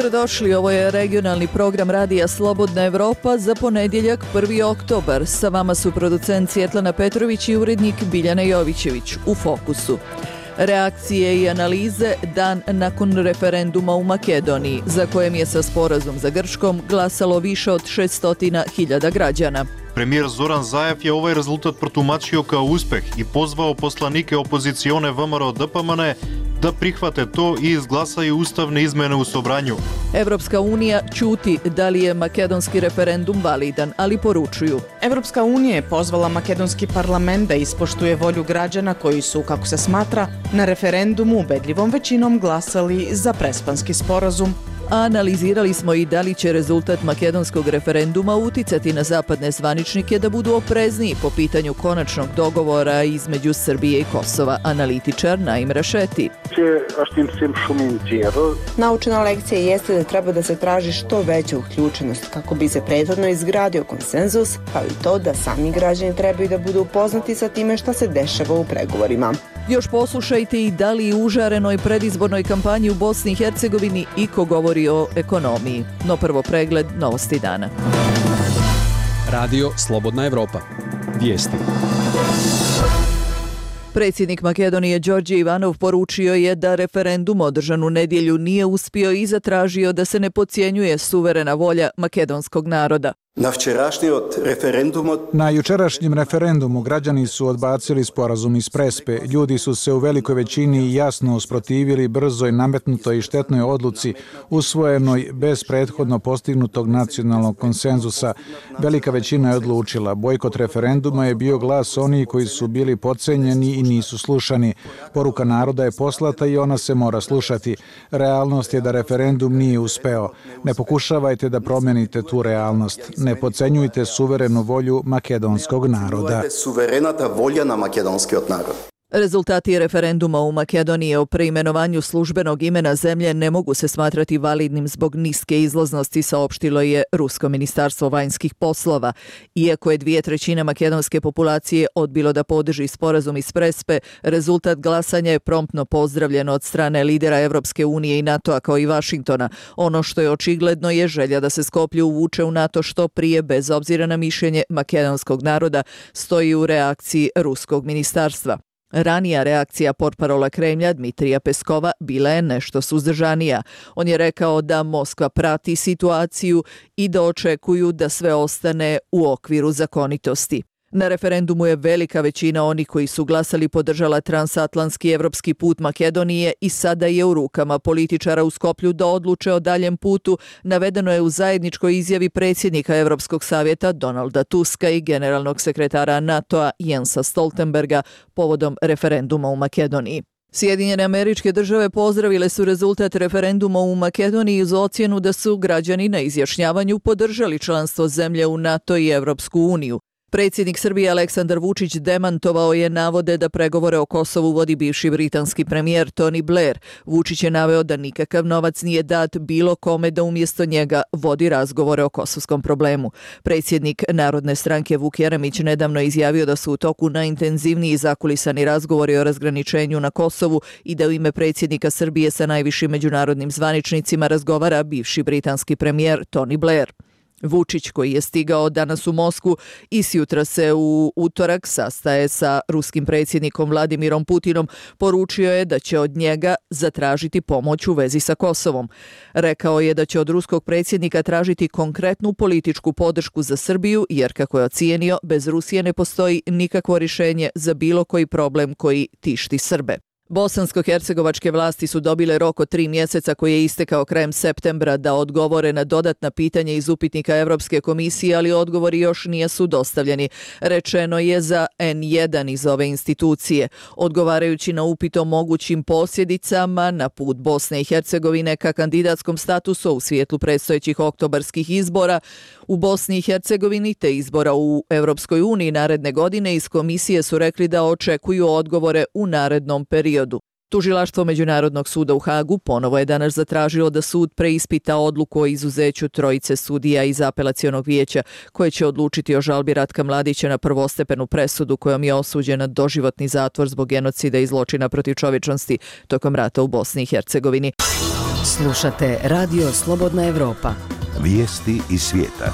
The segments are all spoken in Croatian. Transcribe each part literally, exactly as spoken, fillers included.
Dobrodošli, ovo je regionalni program Radija Slobodna Evropa za ponedjeljak prvi oktobar. Sa vama su producent Svjetlana Petrović i urednik Biljana Jovićević. U fokusu reakcije i analize dan nakon referenduma u Makedoniji, za kojem je sa sporazum za Grčkom glasalo više od šesto hiljada građana. Premijer Zoran Zaev je ovaj rezultat protumačio kao uspeh i pozvao poslanike opozicione V M R O D P M N da prihvate to i izglasaju ustavne izmene u Sobranju. Evropska unija ćuti da li je makedonski referendum validan, ali poručuju. Evropska unija je pozvala makedonski parlament da ispoštuje volju građana koji su, kako se smatra, na referendumu ubedljivom većinom glasali za Prespanski sporazum. A analizirali smo i da li će rezultat makedonskog referenduma uticati na zapadne zvaničnike da budu oprezniji po pitanju konačnog dogovora između Srbije i Kosova. Analitičar Naim Rašeti. Naučena lekcija jeste da treba da se traži što veća uključenost kako bi se prethodno izgradio konsenzus, kao i to da sami građani trebaju da budu upoznati sa time šta se dešava u pregovorima. Još poslušajte i da li u užarenoj predizbornoj kampanji u Bosni i Hercegovini iko govori o ekonomiji. No prvo pregled novosti dana. Radio Slobodna Evropa. Vijesti. Predsjednik Makedonije Đorđe Ivanov poručio je da referendum održan u nedjelju nije uspio i zatražio da se ne podcjenjuje suverena volja makedonskog naroda. Na jučerašnjem referendumu građani su odbacili sporazum iz Prespe. Ljudi su se u velikoj većini jasno usprotivili brzoj, nametnutoj i štetnoj odluci usvojenoj bez prethodno postignutog nacionalnog konsenzusa. Velika većina je odlučila. Bojkot referenduma je bio glas onih koji su bili podcenjeni i nisu slušani. Poruka naroda je poslata i ona se mora slušati. Realnost je da referendum nije uspeo. Ne pokušavajte da promenite tu realnost. Ne podcenjujte suverenu volju makedonskog naroda. Rezultati referenduma u Makedoniji o preimenovanju službenog imena zemlje ne mogu se smatrati validnim zbog niske izlaznosti, saopštilo je Rusko ministarstvo vanjskih poslova. Iako je dvije trećine makedonske populacije odbilo da podrži sporazum iz Prespe, rezultat glasanja je promptno pozdravljen od strane lidera Evropske unije i NATO-a kao i Vašingtona. Ono što je očigledno je želja da se Skoplje uvuče u NATO što prije, bez obzira na mišljenje makedonskog naroda, stoji u reakciji Ruskog ministarstva. Ranija reakcija portparola Kremlja Dmitrija Peskova bila je nešto suzdržanija. On je rekao da Moskva prati situaciju i da očekuju da sve ostane u okviru zakonitosti. Na referendumu je velika većina onih koji su glasali podržala transatlantski evropski put Makedonije i sada je u rukama političara u Skoplju da odluče o daljem putu, navedeno je u zajedničkoj izjavi predsjednika Evropskog savjeta Donalda Tuska i generalnog sekretara NATO-a Jensa Stoltenberga povodom referenduma u Makedoniji. Sjedinjene Američke Države pozdravile su rezultat referenduma u Makedoniji uz ocjenu da su građani na izjašnjavanju podržali članstvo zemlje u NATO i Evropsku uniju. Predsjednik Srbije Aleksandar Vučić demantovao je navode da pregovore o Kosovu vodi bivši britanski premijer Tony Blair. Vučić je naveo da nikakav novac nije dat bilo kome da umjesto njega vodi razgovore o kosovskom problemu. Predsjednik Narodne stranke Vuk Jeremić nedavno je izjavio da su u toku najintenzivniji zakulisani razgovori o razgraničenju na Kosovu i da u ime predsjednika Srbije sa najvišim međunarodnim zvaničnicima razgovara bivši britanski premijer Tony Blair. Vučić, koji je stigao danas u Moskvu i sjutra se u utorak sastaje sa ruskim predsjednikom Vladimirom Putinom, poručio je da će od njega zatražiti pomoć u vezi sa Kosovom. Rekao je da će od ruskog predsjednika tražiti konkretnu političku podršku za Srbiju, jer kako je ocijenio, bez Rusije ne postoji nikakvo rješenje za bilo koji problem koji tišti Srbe. Bosansko-hercegovačke vlasti su dobile rok od tri mjeseca koji je istekao krajem septembra da odgovore na dodatna pitanja iz upitnika Evropske komisije, ali odgovori još nisu dostavljeni. Rečeno je za en jedan iz ove institucije. Odgovarajući na upit o mogućim posljedicama na put Bosne i Hercegovine ka kandidatskom statusu u svijetlu predstojećih oktobarskih izbora u Bosni i Hercegovini te izbora u Evropskoj uniji naredne godine, iz komisije su rekli da očekuju odgovore u narednom periodu. Tužilaštvo Međunarodnog suda u Hagu ponovo je danas zatražilo da sud preispita odluku o izuzeću trojice sudija iz apelacionog vijeća koje će odlučiti o žalbi Ratka Mladića na prvostepenu presudu kojom je osuđen na doživotni zatvor zbog genocida i zločina protiv čovječnosti tokom rata u Bosni i Hercegovini. Slušate Radio Slobodna Evropa. Vijesti iz svijeta.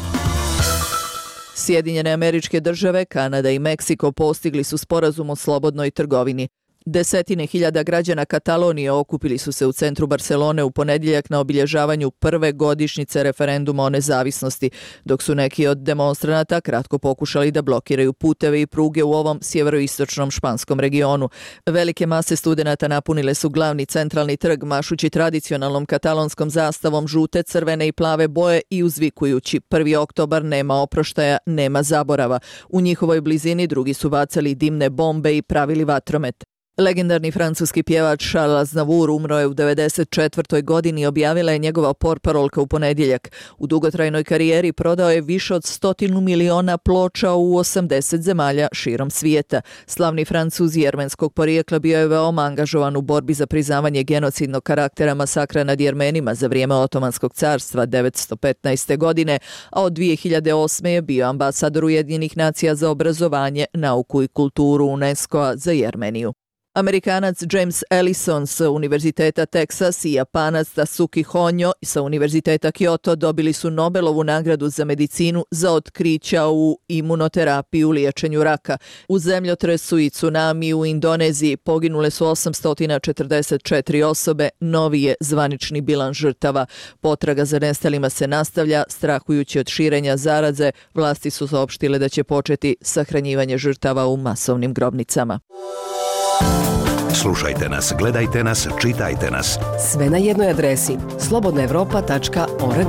Sjedinjene Američke Države, Kanada i Meksiko postigli su sporazum o slobodnoj trgovini. Desetine hiljada građana Katalonije okupili su se u centru Barcelone u ponedjeljak na obilježavanju prve godišnjice referenduma o nezavisnosti, dok su neki od demonstranata kratko pokušali da blokiraju puteve i pruge u ovom sjeveroistočnom španskom regionu. Velike mase studenata napunile su glavni centralni trg mašući tradicionalnom katalonskom zastavom žute, crvene i plave boje i uzvikujući prvi oktobar nema oproštaja, nema zaborava. U njihovoj blizini drugi su bacali dimne bombe i pravili vatromet. Legendarni francuski pjevač Charles Aznavour umro je u devedeset četvrtoj godini, objavila je njegova portparolka u ponedjeljak. U dugotrajnoj karijeri prodao je više od stotinu miliona ploča u osamdeset zemalja širom svijeta. Slavni Francuz jermenskog porijekla bio je veoma angažovan u borbi za priznavanje genocidnog karaktera masakra nad Jermenima za vrijeme Otomanskog carstva devetsto petnaeste. godine, a od dvije hiljade osme. je bio ambasador Ujedinjenih nacija za obrazovanje, nauku i kulturu UNESCO-a za Jermeniju. Amerikanac James Ellison sa Univerziteta Teksas i Japanac Tasuki Honjo sa Univerziteta Kyoto dobili su Nobelovu nagradu za medicinu za otkrića u imunoterapiji u liječenju raka. U zemljotresu i tsunami u Indoneziji poginule su osamsto četrdeset četiri osobe, novi je zvanični bilans žrtava. Potraga za nestalima se nastavlja, strahujući od širenja zaraze, vlasti su saopštile da će početi sahranjivanje žrtava u masovnim grobnicama. Slušajte nas, gledajte nas, čitajte nas. Sve na jednoj adresi slobodna evropa tačka org.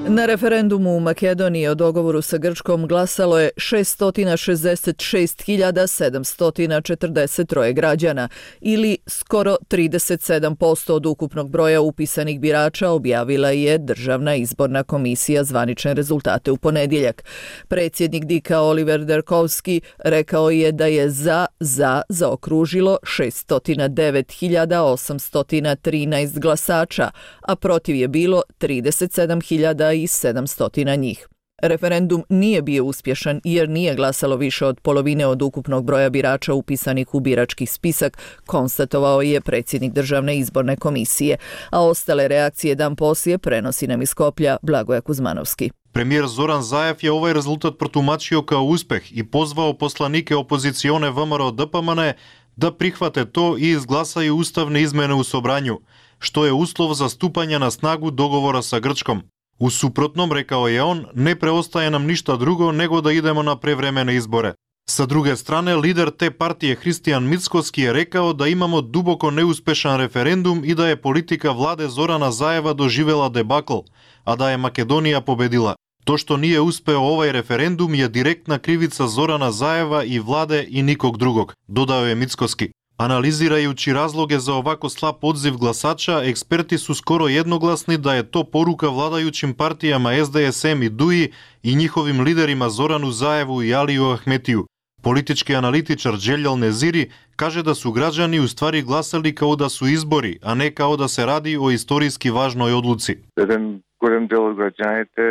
Na referendumu u Makedoniji o dogovoru sa Grčkom glasalo je šesto šezdeset šest hiljada sedamsto četrdeset tri građana ili skoro trideset sedam posto od ukupnog broja upisanih birača, objavila je Državna izborna komisija zvanične rezultate u ponedjeljak. Predsjednik Dika Oliver Derkovski rekao je da je za za zaokružilo šesto devet hiljada osamsto trinaest glasača, a protiv je bilo trideset sedam hiljada i sedamsto njih. Referendum nije bio uspješan jer nije glasalo više od polovine od ukupnog broja birača upisanih u birački spisak, konstatovao je predsjednik Državne izborne komisije, a ostale reakcije dan poslije prenosi nam iz Skoplja Blagoje Kuzmanovski. Premijer Zoran Zaev je ovaj rezultat protumačio kao uspeh i pozvao poslanike opozicione V M R O D P M N da prihvate to i izglasaju ustavne izmjene u Sobranju, što je uslov za stupanje na snagu dogovora sa Grčkom. U suprotnom, rekao je on, ne preostaje nam ništa drugo nego da idemo na prevremene izbore. Sa druge strane, lider te partije Hristijan Mickoski je rekao da imamo duboko neuspešan referendum i da je politika vlade Zorana Zaeva doživjela debakl, a da je Makedonija pobedila. To što nije uspeo ovaj referendum je direktna krivica Zorana Zaeva i vlade i nikog drugog, dodao je Mickoski. Analizirajući razloge za ovako slab odziv glasača, eksperti su skoro jednoglasni da je to poruka vladajućim partijama S D S M i D U I i njihovim liderima Zoranu Zaevu i Aliju Ahmetiju. Politički analitičar Dželjal Neziri kaže da su građani u stvari glasali kao da su izbori, a ne kao da se radi o istorijski važnoj odluci. Jedan golem deo građanite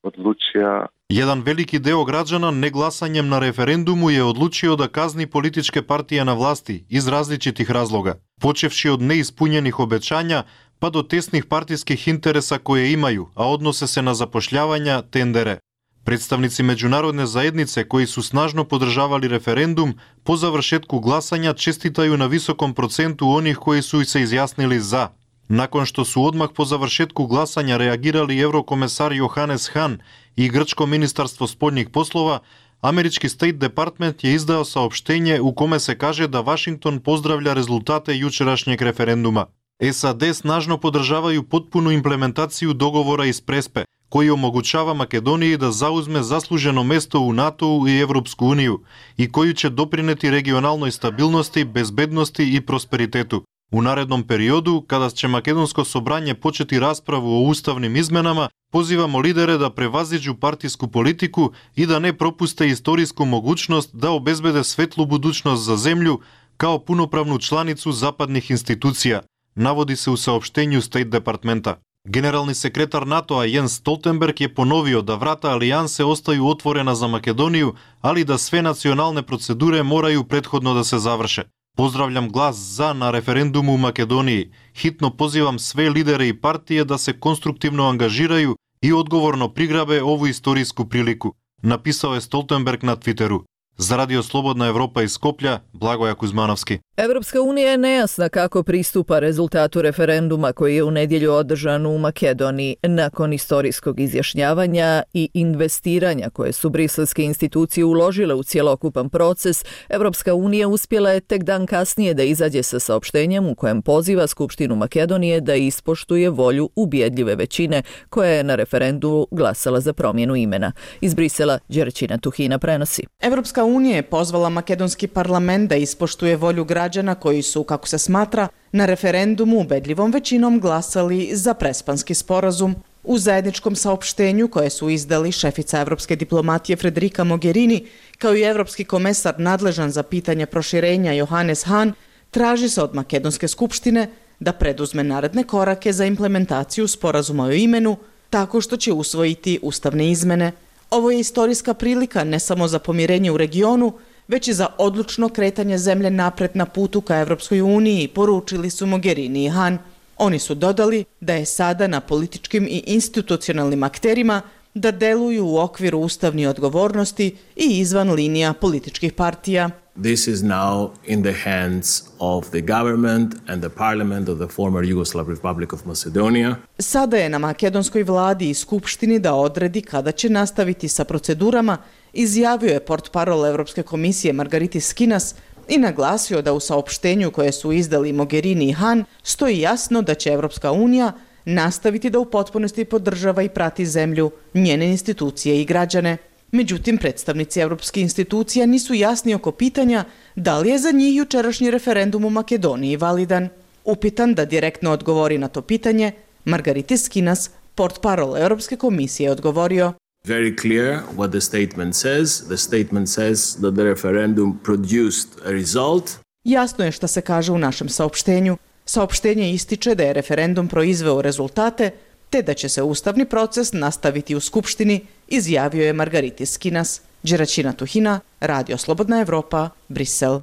odlučija Jedan veliki deo građana neglasanjem na referendumu je odlučio da kazni političke partije na vlasti iz različitih razloga, počevši od neispunjenih obećanja pa do tesnih partijskih interesa koje imaju, a odnose se na zapošljavanja, tendere. Predstavnici međunarodne zajednice koji su snažno podržavali referendum po završetku glasanja čestitaju na visokom procentu onih koji su se izjasnili za. Nakon što su odmah po završetku glasanja reagirali eurokomesar Johannes Hahn i grčko ministarstvo spoljnih poslova, američki State Department je izdao saopštenje u kome se kaže da Washington pozdravlja rezultate jučerašnjeg referenduma. S A D snažno podržavaju potpunu implementaciju dogovora iz Prespe, koji omogućava Makedoniji da zauzme zasluženo mesto u NATO-u i Evropsku uniju i koji će doprineti regionalnoj stabilnosti, bezbednosti i prosperitetu. U narednom periodu, kada će Makedonsko sobranje početi raspravu o ustavnim izmenama, pozivamo lidere da prevaziđu partijsku politiku i da ne propuste istorijsku mogućnost da obezbede svetlu budućnost za zemlju kao punopravnu članicu zapadnih institucija, navodi se u saopštenju State Departmenta. Generalni sekretar NATO-a Jens Stoltenberg je ponovio da vrata alijanse ostaju otvorena za Makedoniju, ali da sve nacionalne procedure moraju prethodno da se završe. Pozdravljam glas za na referendumу u Makedoniji. Hitno pozivam sve lidere i partije da se konstruktivno angažiraju i odgovorno prigrabe ovu istorijsku priliku, napisao je Stoltenberg na Twitteru. Za Radio Slobodna Evropa iz Skoplja, Blagoja Kuzmanovski. Evropska unija je nejasna kako pristupa rezultatu referenduma koji je u nedjelju održan u Makedoniji. Nakon istorijskog izjašnjavanja i investiranja koje su briselske institucije uložile u cjelokupan proces, Evropska unija uspjela je tek dan kasnije da izađe sa saopštenjem u kojem poziva Skupštinu Makedonije da ispoštuje volju ubjedljive većine koja je na referendumu glasala za promjenu imena. Iz Brisela Đerčina Tuhina prenosi. Evropska unija je pozvala makedonski parlament da ispoštuje volju građana koji su, kako se smatra, na referendumu ubedljivom većinom glasali za prespanski sporazum. U zajedničkom saopštenju koje su izdali šefica evropske diplomatije Frederica Mogherini kao i evropski komesar nadležan za pitanje proširenja Johannes Hahn, traži se od Makedonske skupštine da preduzme naredne korake za implementaciju sporazuma o imenu tako što će usvojiti ustavne izmene. Ovo je istorijska prilika ne samo za pomirenje u regionu, već i za odlučno kretanje zemlje napred na putu ka Evropskoj uniji, poručili su Mogherini i Hahn. Oni su dodali da je sada na političkim i institucionalnim akterima da deluju u okviru ustavne odgovornosti i izvan linija političkih partija. This is now in the hands of the government and the parliament of the former Yugoslav Republic of Macedonia. Sada je na makedonskoj vladi i skupštini da odredi kada će nastaviti sa procedurama, izjavio je portparol Evropske komisije Margaritis Skinas i naglasio da u saopštenju koje su izdali Mogherini i Hahn stoji jasno da će Evropska unija nastaviti da u potpunosti podržava i prati zemlju, njene institucije i građane. Međutim, predstavnici evropskih institucija nisu jasni oko pitanja da li je za njih jučerašnji referendum u Makedoniji validan. Upitan da direktno odgovori na to pitanje, Margaritis Skinas, portparol Europske komisije, odgovorio: Very clear what the statement says. The statement says that the referendum produced a result. Jasno je šta se kaže u našem saopštenju. Saopštenje ističe da je referendum proizveo rezultate, te da će se ustavni proces nastaviti u Skupštini, izjavio je Margaritis Skinas. Đeračina Tuhina, Radio Slobodna Evropa, Brisel.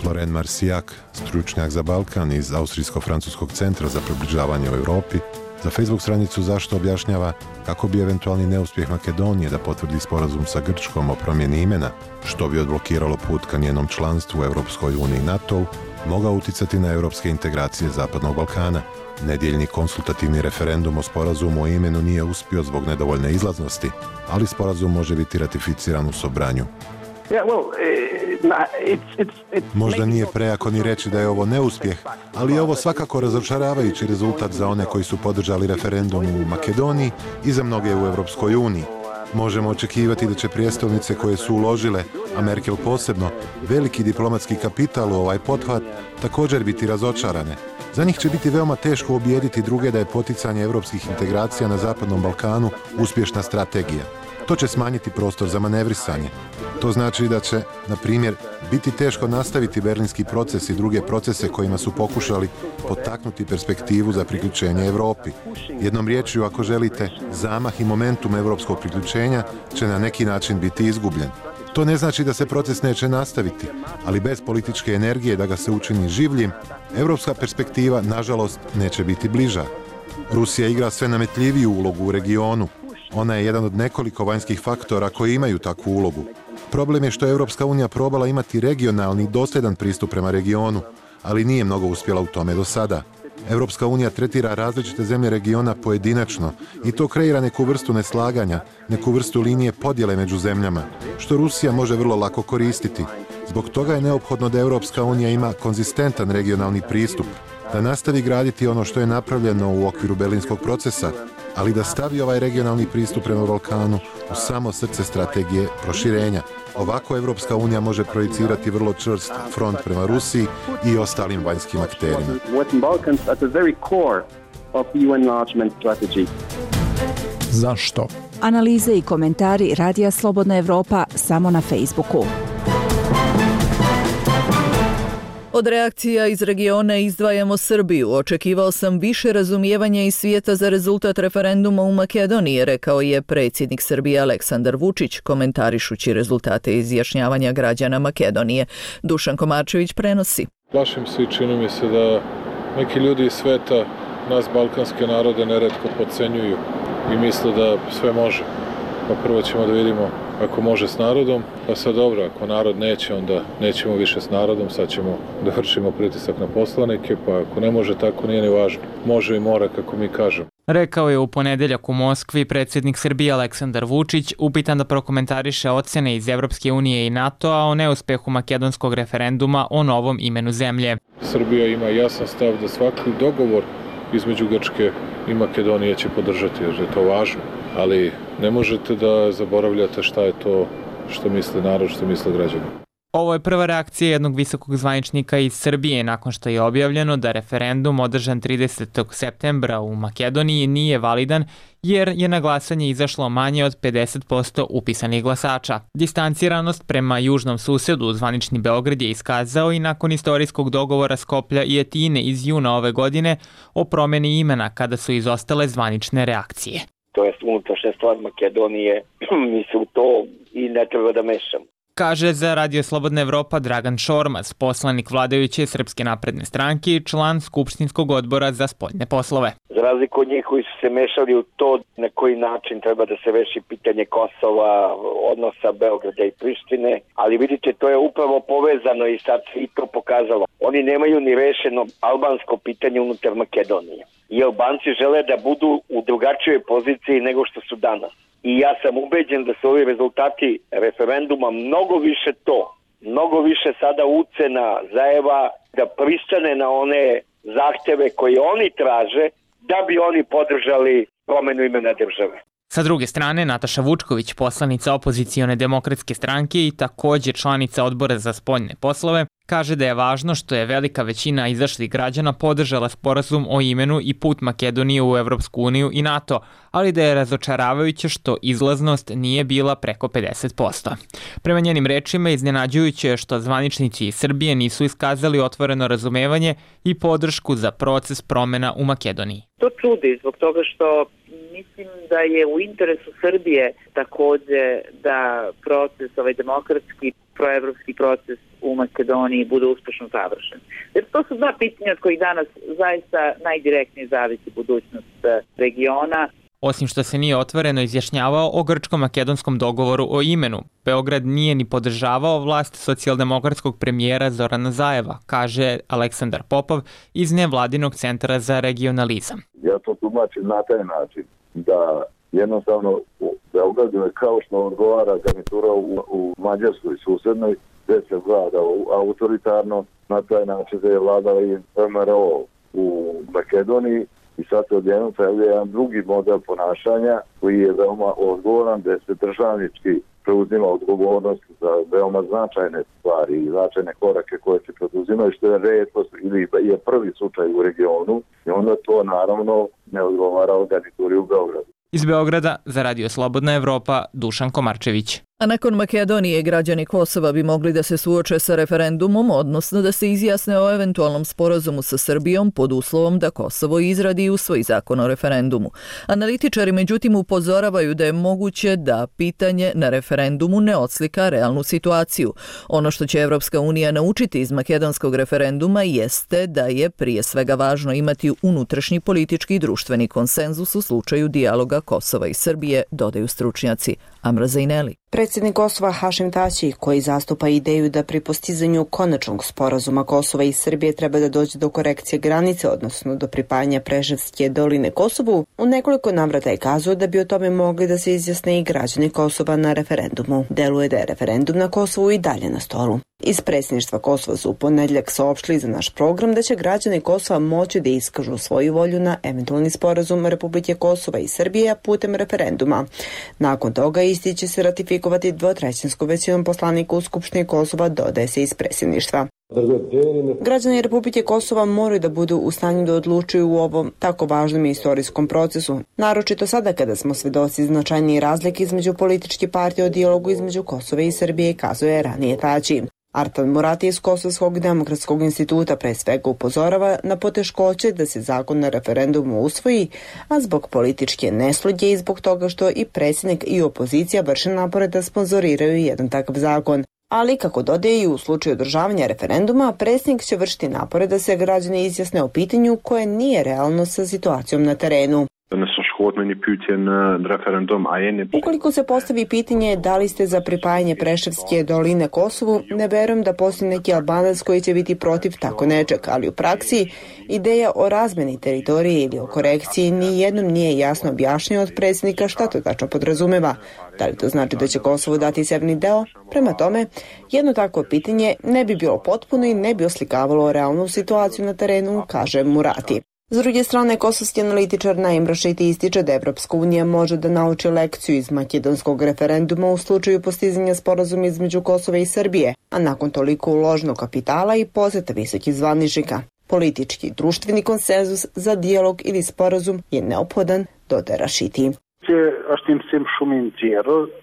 Floren Marsijak, stručnjak za Balkan iz Austrijsko-francuskog centra za približavanje u Europi, za Facebook stranicu Zašto objašnjava kako bi eventualni neuspjeh Makedonije da potvrdi sporazum sa Grčkom o promjeni imena, što bi odblokiralo put ka njenom članstvu u Europskoj uniji i NATO-u, mogao uticati na europske integracije Zapadnog Balkana. Nedjeljni konsultativni referendum o sporazumu o imenu nije uspio zbog nedovoljne izlaznosti, ali sporazum može biti ratificiran u Sobranju. Možda nije prejako ni reći da je ovo neuspjeh, ali je ovo svakako razočaravajući rezultat za one koji su podržali referendum u Makedoniji i za mnoge u Europskoj uniji. Možemo očekivati da će prijestolnice koje su uložile, a Merkel posebno, veliki diplomatski kapital u ovaj pothvat također biti razočarane. Za njih će biti veoma teško ubijediti druge da je poticanje europskih integracija na Zapadnom Balkanu uspješna strategija. To će smanjiti prostor za manevrisanje. To znači da će, na primjer, biti teško nastaviti berlinski proces i druge procese kojima su pokušali potaknuti perspektivu za priključenje Europi. Jednom riječju, ako želite, zamah i momentum europskog priključenja će na neki način biti izgubljen. To ne znači da se proces neće nastaviti, ali bez političke energije da ga se učini življim, europska perspektiva, nažalost, neće biti bliža. Rusija igra sve nametljiviju ulogu u regionu. Ona je jedan od nekoliko vanjskih faktora koji imaju takvu ulogu. Problem je što je Europska unija probala imati regionalni i dosljedan pristup prema regionu, ali nije mnogo uspjela u tome do sada. Europska unija tretira različite zemlje regiona pojedinačno i to kreira neku vrstu neslaganja, neku vrstu linije podjele među zemljama, što Rusija može vrlo lako koristiti. Zbog toga je neophodno da Europska unija ima konzistentan regionalni pristup, da nastavi graditi ono što je napravljeno u okviru berlinskog procesa, ali da stavi ovaj regionalni pristup prema Balkanu u samo srce strategije proširenja. Ovako Evropska unija može projicirati vrlo čvrst front prema Rusiji i ostalim vanjskim akterima. Zašto? Analize i komentari Radija Slobodna Evropa samo na Facebooku. Od reakcija iz regiona izdvajamo Srbiju. Očekivao sam više razumijevanja iz svijeta za rezultat referenduma u Makedoniji, rekao je predsjednik Srbije Aleksandar Vučić, komentarišući rezultate izjašnjavanja građana Makedonije. Dušan Komarčević prenosi. Plašim se i čini mi se da neki ljudi iz sveta nas balkanske narode neretko podcenjuju i misle da sve može. Pa prvo ćemo da vidimo ako može s narodom, pa sad dobro, ako narod neće, onda nećemo više s narodom, sad ćemo da vršimo pritisak na poslanike, pa ako ne može tako, nije ni važno. Može i mora, kako mi kažemo. Rekao je u ponedeljak u Moskvi predsjednik Srbije Aleksandar Vučić, upitan da prokomentariše ocjene iz Evropske unije i NATO-a o neuspehu makedonskog referenduma o novom imenu zemlje. Srbija ima jasan stav da svaki dogovor između Grčke i Makedonije će podržati, jer je to važno. Ali ne možete da zaboravljate šta je to što misle narod, što misle građani. Ovo je prva reakcija jednog visokog zvaničnika iz Srbije nakon što je objavljeno da referendum održan tridesetog septembra u Makedoniji nije validan jer je na glasanje izašlo manje od pedeset posto upisanih glasača. Distanciranost prema južnom susedu zvanični Beograd je iskazao i nakon istorijskog dogovora Skoplja i Atine iz juna ove godine o promjeni imena kada su izostale zvanične reakcije. To je unutrašnja stvar Makedonije, mi se u to i ne treba da mešamo. Kaže za Radio Slobodna Evropa Dragan Šormaz, poslanik vladajuće Srpske napredne stranke i član Skupštinskog odbora za spoljne poslove. Za razliku od njih koji su se mešali u to na koji način treba da se reši pitanje Kosova, odnosa Beograda i Prištine, ali vidite, to je upravo povezano i sad se i to pokazalo. Oni nemaju ni rešeno albansko pitanje unutar Makedonije. I Albanci žele da budu u drugačijoj poziciji nego što su danas. I ja sam ubeđen da su ovi rezultati referenduma mnogo više to, mnogo više sada ucena Zajeva da pristane na one zahteve koje oni traže da bi oni podržali promenu imena države. Sa druge strane, Nataša Vučković, poslanica opozicione demokratske stranke i također članica odbora za spoljne poslove, kaže da je važno što je velika većina izašlih građana podržala sporazum o imenu i put Makedonije u Evropsku uniju i NATO, ali da je razočaravajuće što izlaznost nije bila preko pedeset posto. Prema njenim rečima, iznenađujuće je što zvaničnici iz Srbije nisu iskazali otvoreno razumevanje i podršku za proces promjena u Makedoniji. To čudi zbog toga što mislim da je u interesu Srbije također da proces, ovaj demokratski, proevropski proces u Makedoniji bude uspešno završen. Jer to su dva pitanja od kojih danas zaista najdirektnije zavisi budućnost regiona. Osim što se nije otvoreno izjašnjavao o grčko-makedonskom dogovoru o imenu, Beograd nije ni podržavao vlast socijaldemokratskog premijera Zorana Zajeva, kaže Aleksandar Popov iz nevladinog centra za regionalizam. Ja to tumačim na taj način da jednostavno u Beogradu je kao što odgovara garnitura u, u Mađarskoj susednoj, gdje se vlada autoritarno, na taj način da je vladala i em er o u Makedoniji. I sad se odjednom pojavlja jedan drugi model ponašanja koji je veoma odgovoran, gdje se državnički preuzima odgovornost za veoma značajne stvari i značajne korake koje se preduzimaju, što je retkost ili je prvi slučaj u regionu i onda to naravno ne odgovara o garnituri u Beogradu. Iz Beograda za Radio Slobodna Evropa Dušan Komarčević. A nakon Makedonije građani Kosova bi mogli da se suoče sa referendumom, odnosno da se izjasne o eventualnom sporazumu sa Srbijom pod uslovom da Kosovo izradi i usvoji zakon o referendumu. Analitičari međutim upozoravaju da je moguće da pitanje na referendumu ne odslika realnu situaciju. Ono što će Evropska unija naučiti iz makedonskog referenduma jeste da je prije svega važno imati unutrašnji politički i društveni konsenzus u slučaju dijaloga Kosova i Srbije, dodaju stručnjaci. Amra Zajneli. Predsjednik Kosova Hašim Tači, koji zastupa ideju da pri postizanju konačnog sporazuma Kosova i Srbije treba da dođe do korekcije granice, odnosno do pripajanja Preševske doline Kosovu, u nekoliko navrata je kazao da bi o tome mogli da se izjasne i građani Kosova na referendumu. Deluje da je referendum na Kosovu i dalje na stolu. Iz predsjedništva Kosova su u ponedjeljak saopštili za naš program da će građani Kosova moći da iskažu svoju volju na eventualni sporazum Republike Kosova i Srbije putem referenduma. Nakon toga isti će se ratifikovati dvotrećinskom većinom poslanika u Skupštini Kosova, dodaje se iz predsjedništva. Građani Republike Kosova moraju da budu u stanju da odlučuju u ovom tako važnom istorijskom procesu, naročito sada kada smo svedoci značajnije razlike između političke partije o dijalogu između Kosova i Srbije, kazuje ranije Tači. Artan Murati iz Kosovskog demokratskog instituta pre svega upozorava na poteškoće da se zakon na referendumu usvoji, a zbog političke nesludje i zbog toga što i predsjednik i opozicija vrše napore da sponzoriraju jedan takav zakon. Ali, kako dodaje i u slučaju održavanja referenduma, predsjednik će vršiti napore da se građani izjasne o pitanju koje nije realno sa situacijom na terenu. Ukoliko se postavi pitanje da li ste za pripajanje Preševske doline Kosovu, ne verujem da postoji neki Albanac koji će biti protiv tako nečeg, ali u praksi ideja o razmeni teritorije ili o korekciji ni jednom nije jasno objašnjeno od predsjednika šta to tačno podrazumeva. Da li to znači da će Kosovo dati severni deo? Prema tome, jedno takvo pitanje ne bi bilo potpuno i ne bi oslikavalo realnu situaciju na terenu, kaže Murati. S druge strane, kosovski analitičar Naim Rašiti ističe da Evropska unija može da nauči lekciju iz makedonskog referenduma u slučaju postizanja sporazuma između Kosova i Srbije, a nakon toliko uloženog kapitala i poseta visokih zvaničnika. Politički i društveni konsenzus za dijalog ili sporazum je neophodan, dodaje Rašiti.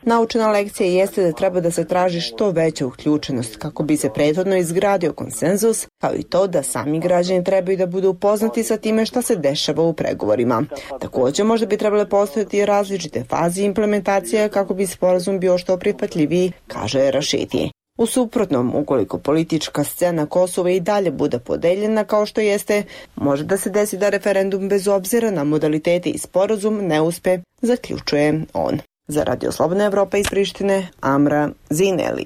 Naučena lekcija jeste da treba da se traži što veća uključenost kako bi se prethodno izgradio konsenzus, kao i to da sami građani trebaju da budu upoznati sa time šta se dešava u pregovorima. Također možda bi trebale postojati različite faze implementacije kako bi sporazum bio što prihvatljiviji, kaže Rašiti. U suprotnom, ukoliko politička scena Kosova i dalje bude podeljena kao što jeste, može da se desi da referendum bez obzira na modalitete i sporazum ne uspe, zaključuje on. Za Radio Slobodna Evropa iz Prištine, Amra Zineli.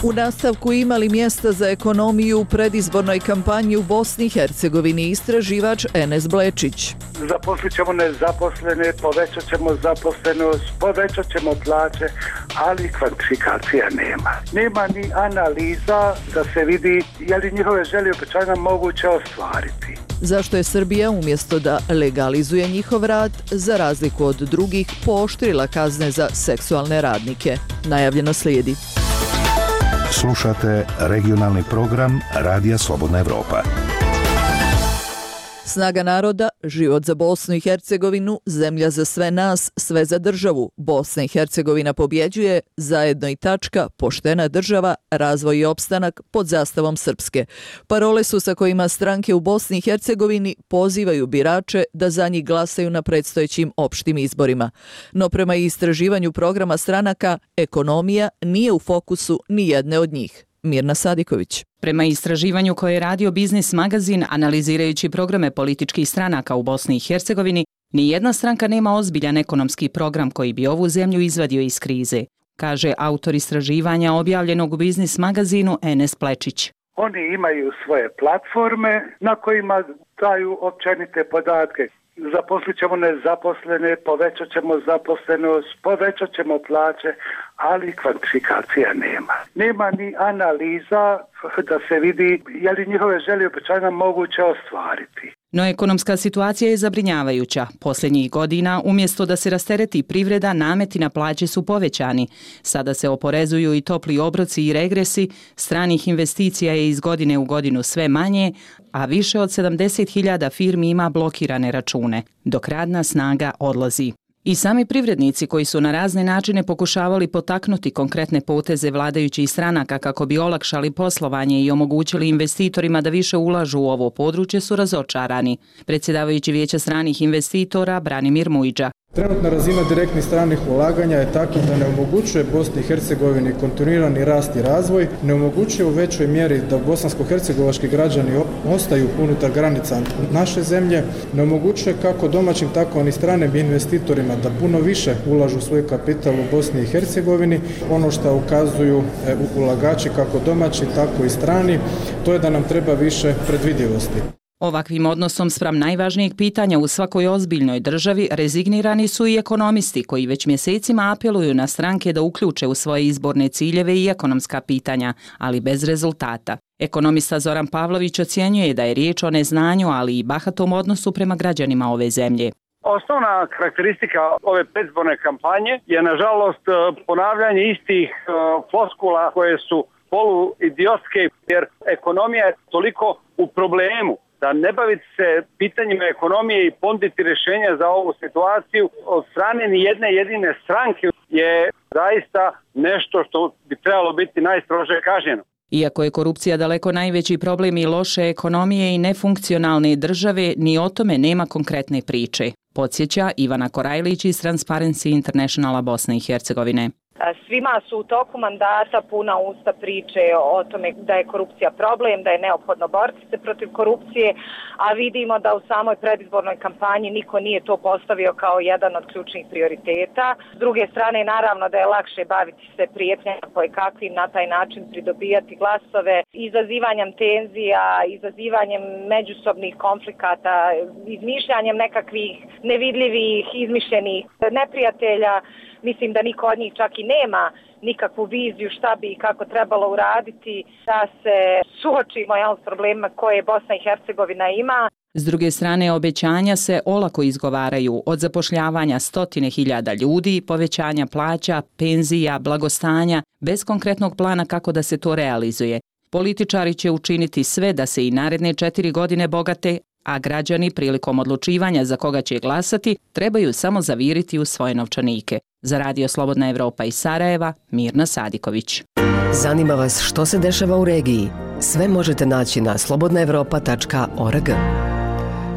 U nastavku imali mjesta za ekonomiju u predizbornoj kampanji u Bosni i Hercegovini istraživač Enes Blečić. Zaposlit ćemo nezaposlene, povećat ćemo zaposlenost, povećat ćemo plaće, ali kvantifikacija nema. Nema ni analiza da se vidi je li njihove želje i obećanja moguće ostvariti. Zašto je Srbija umjesto da legalizuje njihov rad, za razliku od drugih, pooštrila kazne za seksualne radnike? Najavljeno slijedi. Slušate regionalni program Radija Slobodna Evropa. Snaga naroda, život za Bosnu i Hercegovinu, zemlja za sve nas, sve za državu. Bosna i Hercegovina pobjeđuje, zajedno i tačka, poštena država, razvoj i opstanak pod zastavom Srpske. Parole su sa kojima stranke u Bosni i Hercegovini pozivaju birače da za njih glasaju na predstojećim opštim izborima. No prema istraživanju programa stranaka, ekonomija nije u fokusu ni jedne od njih. Mirna Sadiković. Prema istraživanju koje je radio Biznis magazin analizirajući programe političkih stranaka u Bosni i Hercegovini, ni jedna stranka nema ozbiljan ekonomski program koji bi ovu zemlju izvadio iz krize, kaže autor istraživanja objavljenog u Biznis magazinu Enes Plečić. Oni imaju svoje platforme na kojima daju općenite podatke. Zaposlit ćemo nezaposlene, povećat ćemo zaposlenost, povećat ćemo plaće, ali kvantifikacija nema. Nema ni analiza da se vidi je li njihove želje i obećanja moguće ostvariti. No ekonomska situacija je zabrinjavajuća. Posljednjih godina, umjesto da se rastereti privreda, nameti na plaće su povećani. Sada se oporezuju i topli obroci i regresi, stranih investicija je iz godine u godinu sve manje, a više od sedamdeset hiljada firmi ima blokirane račune, dok radna snaga odlazi. I sami privrednici koji su na razne načine pokušavali potaknuti konkretne poteze vladajućih stranaka kako bi olakšali poslovanje i omogućili investitorima da više ulažu u ovo područje su razočarani. Predsjedavajući Vijeća stranih investitora Branimir Mujđa. Trenutna razina direktnih stranih ulaganja je takva da ne omogućuje Bosni i Hercegovini kontinuirani rast i razvoj, ne omogućuje u većoj mjeri da bosansko-hercegovački građani ostaju unutar granica naše zemlje, ne omogućuje kako domaćim tako i stranim investitorima da puno više ulažu svoj kapital u Bosni i Hercegovini. Ono što ukazuju ulagači kako domaći tako i strani, to je da nam treba više predvidivosti. Ovakvim odnosom spram najvažnijeg pitanja u svakoj ozbiljnoj državi rezignirani su i ekonomisti koji već mjesecima apeluju na stranke da uključe u svoje izborne ciljeve i ekonomska pitanja, ali bez rezultata. Ekonomista Zoran Pavlović ocjenjuje da je riječ o neznanju, ali i bahatom odnosu prema građanima ove zemlje. Osnovna karakteristika ove predizborne kampanje je nažalost ponavljanje istih floskula koje su poluidiotske, jer ekonomija je toliko u problemu da ne baviti se pitanjima ekonomije i ponuditi rješenja za ovu situaciju od strane ni jedne jedine stranke je zaista nešto što bi trebalo biti najstrože kažnjeno. Iako je korupcija daleko najveći problem i loše ekonomije i nefunkcionalne države, ni o tome nema konkretne priče, podsjeća Ivana Korajlić iz Transparency Internationala Bosne i Hercegovine. Svima su u toku mandata puna usta priče o tome da je korupcija problem, da je neophodno boriti se protiv korupcije, a vidimo da u samoj predizbornoj kampanji niko nije to postavio kao jedan od ključnih prioriteta. S druge strane, naravno da je lakše baviti se prijetnjama koje kakvim na taj način pridobijati glasove, izazivanjem tenzija, izazivanjem međusobnih konflikata, izmišljanjem nekakvih nevidljivih, izmišljenih neprijatelja. Mislim da niko od njih čak i nema nikakvu viziju šta bi i kako trebalo uraditi da se suočimo jel, s problemima koje Bosna i Hercegovina ima. S druge strane, obećanja se olako izgovaraju od zapošljavanja stotine hiljada ljudi, povećanja plaća, penzija, blagostanja, bez konkretnog plana kako da se to realizuje. Političari će učiniti sve da se i naredne četiri godine bogate, a građani prilikom odlučivanja za koga će glasati trebaju samo zaviriti u svoje novčanike. Za Radio Slobodna Evropa iz Sarajeva, Mirna Sadiković. Zanima vas što se dešava u regiji? Sve možete naći na slobodna evropa tačka org.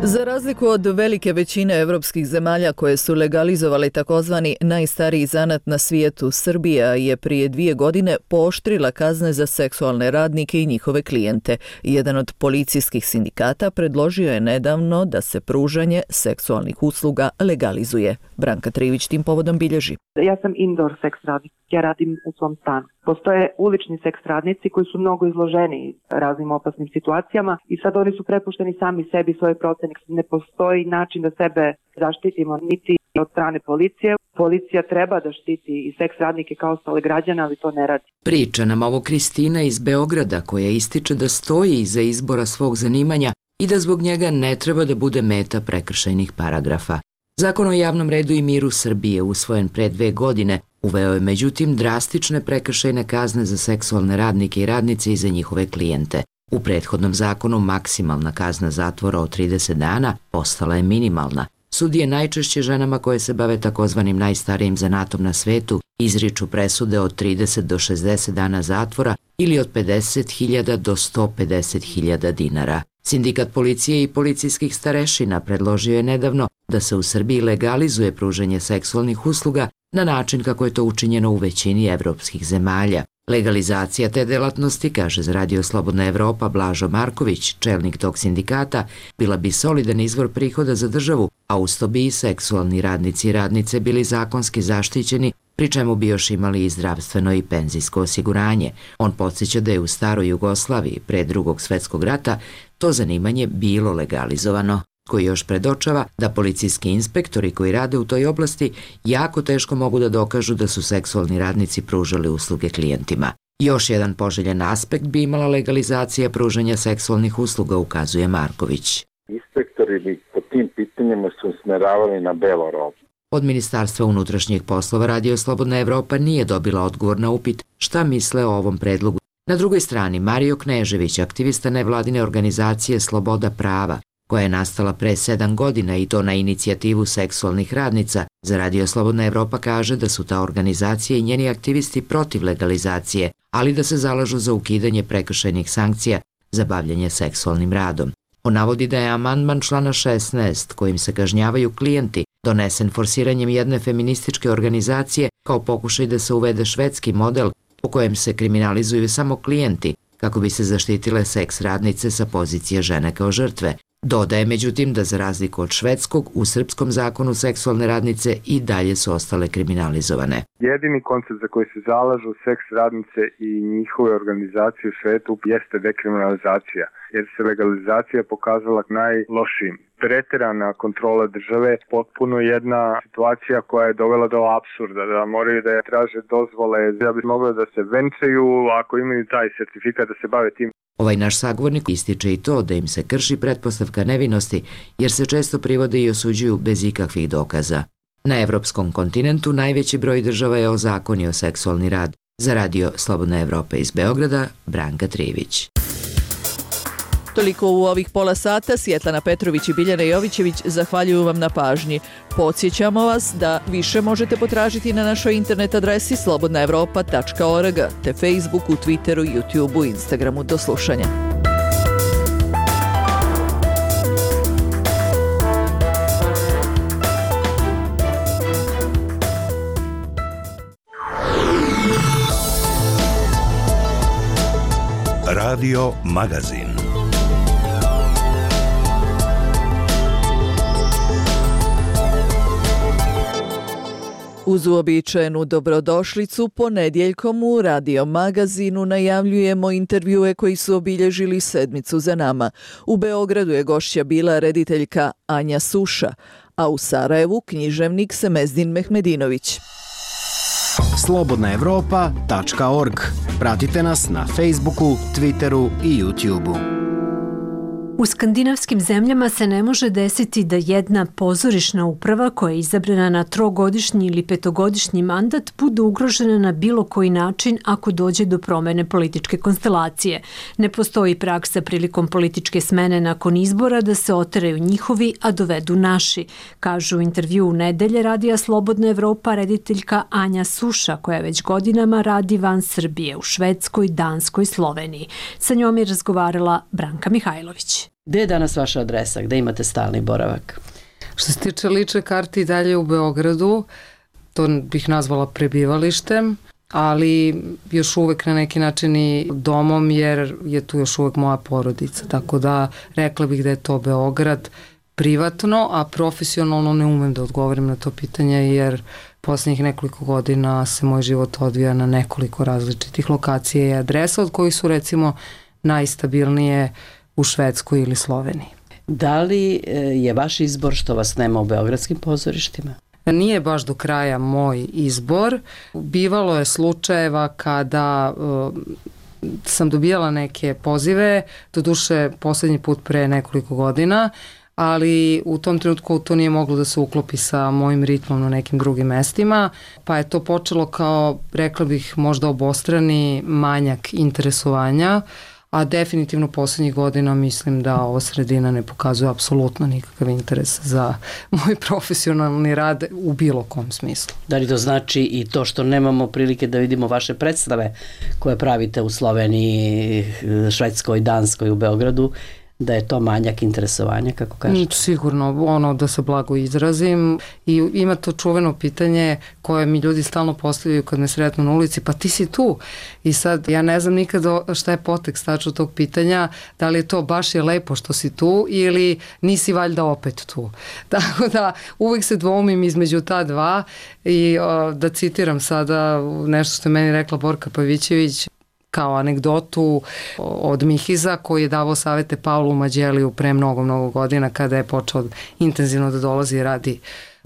Za razliku od velike većine evropskih zemalja koje su legalizovali takozvani najstariji zanat na svijetu, Srbija je prije dvije godine pooštrila kazne za seksualne radnike i njihove klijente. Jedan od policijskih sindikata predložio je nedavno da se pružanje seksualnih usluga legalizuje. Branka Trivić tim povodom bilježi. Ja sam indoor seks radnik, ja radim u svom stanu. Postoje ulični seks radnici koji su mnogo izloženi raznim opasnim situacijama i sad oni su prepušteni sami sebi svoje procene. Ne postoji način da sebe zaštitimo niti od strane policije. Policija treba da štiti i seks radnike kao ostale građane, ali to ne radi. Priča nam ovo Kristina iz Beograda koja ističe da stoji iza izbora svog zanimanja i da zbog njega ne treba da bude meta prekršajnih paragrafa. Zakon o javnom redu i miru Srbije, usvojen pre dve godine, uveo je međutim drastične prekršajne kazne za seksualne radnike i radnice i za njihove klijente. U prethodnom zakonu maksimalna kazna zatvora od trideset dana postala je minimalna. Sudije najčešće ženama koje se bave takozvanim najstarijim zanatom na svetu izriču presude od trideset do šezdeset dana zatvora ili od pedeset hiljada do sto pedeset hiljada dinara. Sindikat policije i policijskih starešina predložio je nedavno da se u Srbiji legalizuje pružanje seksualnih usluga na način kako je to učinjeno u većini evropskih zemalja. Legalizacija te delatnosti, kaže za Radio Slobodna Evropa Blažo Marković, čelnik tog sindikata, bila bi solidan izvor prihoda za državu, a usto bi i seksualni radnici i radnice bili zakonski zaštićeni, pri čemu bi još imali i zdravstveno i penzijsko osiguranje. On podsjeća da je u staroj Jugoslaviji pre drugog svetskog rata to zanimanje bilo legalizovano, koji još predočava da policijski inspektori koji rade u toj oblasti jako teško mogu da dokažu da su seksualni radnici pružali usluge klijentima. Još jedan poželjen aspekt bi imala legalizacija pružanja seksualnih usluga, ukazuje Marković. Inspektori bi po tim pitanjima su usmeravali na belo robu. Od Ministarstva unutrašnjih poslova Radio Slobodna Evropa nije dobila odgovor na upit šta misle o ovom predlogu. Na drugoj strani Mario Knežević, aktivista nevladine organizacije Sloboda prava, koja je nastala pre sedam godina i to na inicijativu seksualnih radnica, za Radio Slobodna Evropa kaže da su ta organizacija i njeni aktivisti protiv legalizacije, ali da se zalažu za ukidanje prekršajnih sankcija za bavljanje seksualnim radom. On navodi da je amandman člana šesnaest, kojim se kažnjavaju klijenti, donesen forsiranjem jedne feminističke organizacije kao pokušaj da se uvede švedski model po kojem se kriminalizuju samo klijenti kako bi se zaštitile seks radnice sa pozicije žene kao žrtve. Dodaje međutim da za razliku od švedskog, u srpskom zakonu seksualne radnice i dalje su ostale kriminalizovane. Jedini koncept za koji se zalažu seks radnice i njihove organizacije u svetu jeste dekriminalizacija, jer se legalizacija pokazala najlošijim. Preterana kontrola države, potpuno jedna situacija koja je dovela do apsurda, da moraju da je traže dozvole, da bi mogli da se venčaju ako imaju taj sertifikat da se bave tim. Ovaj naš sagovornik ističe i to da im se krši pretpostavka nevinosti, jer se često privode i osuđuju bez ikakvih dokaza. Na evropskom kontinentu najveći broj država je ozakonio seksualni rad. Za Radio Slobodna Evropa iz Beograda, Branka Trivić. Toliko u ovih pola sata. Sjetlana Petrović i Biljana Jovićević zahvaljuju vam na pažnji. Podsjećamo vas da više možete potražiti na našoj internet adresi slobodna evropa tačka org te Facebooku, Twitteru, YouTubeu, Instagramu. Do slušanja. Radio Magazin. Uz uobičajenu dobrodošlicu ponedjeljkom u Radio Magazinu najavljujemo intervjue koji su obilježili sedmicu za nama. U Beogradu je gošća bila rediteljka Anja Suša, a u Sarajevu književnik Semezdin Mehmedinović. slobodna evropa tačka org. Pratite nas na Facebooku, Twitteru i YouTubeu. U skandinavskim zemljama se ne može desiti da jedna pozorišna uprava koja je izabrana na trogodišnji ili petogodišnji mandat bude ugrožena na bilo koji način ako dođe do promene političke konstelacije. Ne postoji praksa prilikom političke smene nakon izbora da se oteraju njihovi, a dovedu naši, kažu u intervju u Nedelje radija Slobodna Evropa rediteljka Anja Suša, koja već godinama radi van Srbije u Švedskoj, Danskoj, Sloveniji. Sa njom je razgovarala Branka Mihajlović. Gde je danas vaša adresa? Gde imate stalni boravak? Što se tiče lične karte i dalje u Beogradu, to bih nazvala prebivalištem, ali još uvek na neki način i domom, jer je tu još uvek moja porodica. Tako da rekla bih da je to Beograd privatno, a profesionalno ne umem da odgovorim na to pitanje, jer posljednjih nekoliko godina se moj život odvija na nekoliko različitih lokacija i adresa, od kojih su recimo najstabilnije u Švedskoj ili Sloveniji. Da li je vaš izbor što vas nema u beogradskim pozorištima? Nije baš do kraja moj izbor. Bivalo je slučajeva kada uh, sam dobijala neke pozive, doduše posljednji put pre nekoliko godina, ali u tom trenutku to nije moglo da se uklopi sa mojim ritmom na nekim drugim mestima, pa je to počelo kao, rekla bih, možda obostrani manjak interesovanja, a definitivno posljednjih godina mislim da ova sredina ne pokazuje apsolutno nikakav interes za moj profesionalni rad u bilo kom smislu. Da li to znači i to što nemamo prilike da vidimo vaše predstave koje pravite u Sloveniji, Švedskoj, Danskoj, u Beogradu, da je to manjak interesovanja, kako kažete? Sigurno, ono da se blago izrazim, i ima to čuveno pitanje koje mi ljudi stalno postavljaju kad me sretnu na ulici, pa ti si tu. I sad ja ne znam nikada šta je potekst tačno tog pitanja, da li je to baš je lepo što si tu ili nisi valjda opet tu. Tako da uvijek se dvoumim između ta dva i o, da citiram sada nešto što je meni rekla Borka Pavićević, kao anegdotu od Mihiza koji je davao savete Pavlu Mađeliju pre mnogo, mnogo godina kada je počeo intenzivno da dolazi i radi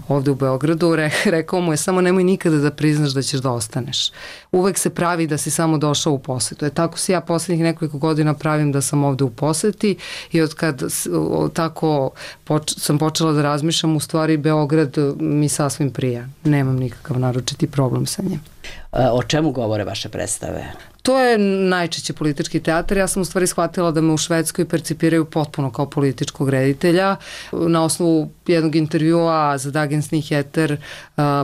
ovde u Beogradu. Re, rekao mu je samo nemoj nikada da priznaš da ćeš da ostaneš. Uvek se pravi da si samo došao u posetu. E, tako se ja poslednjih nekoliko godina pravim da sam ovde u poseti i od kad o, tako poč, sam počela da razmišljam, u stvari Beograd mi sasvim prija. Nemam nikakav naročiti problem sa njim. O čemu govore vaše predstave? To je najčešće politički teatar. Ja sam u stvari shvatila da me u Švedskoj percipiraju potpuno kao političkog reditelja. Na osnovu jednog intervjua za Dagens Nyheter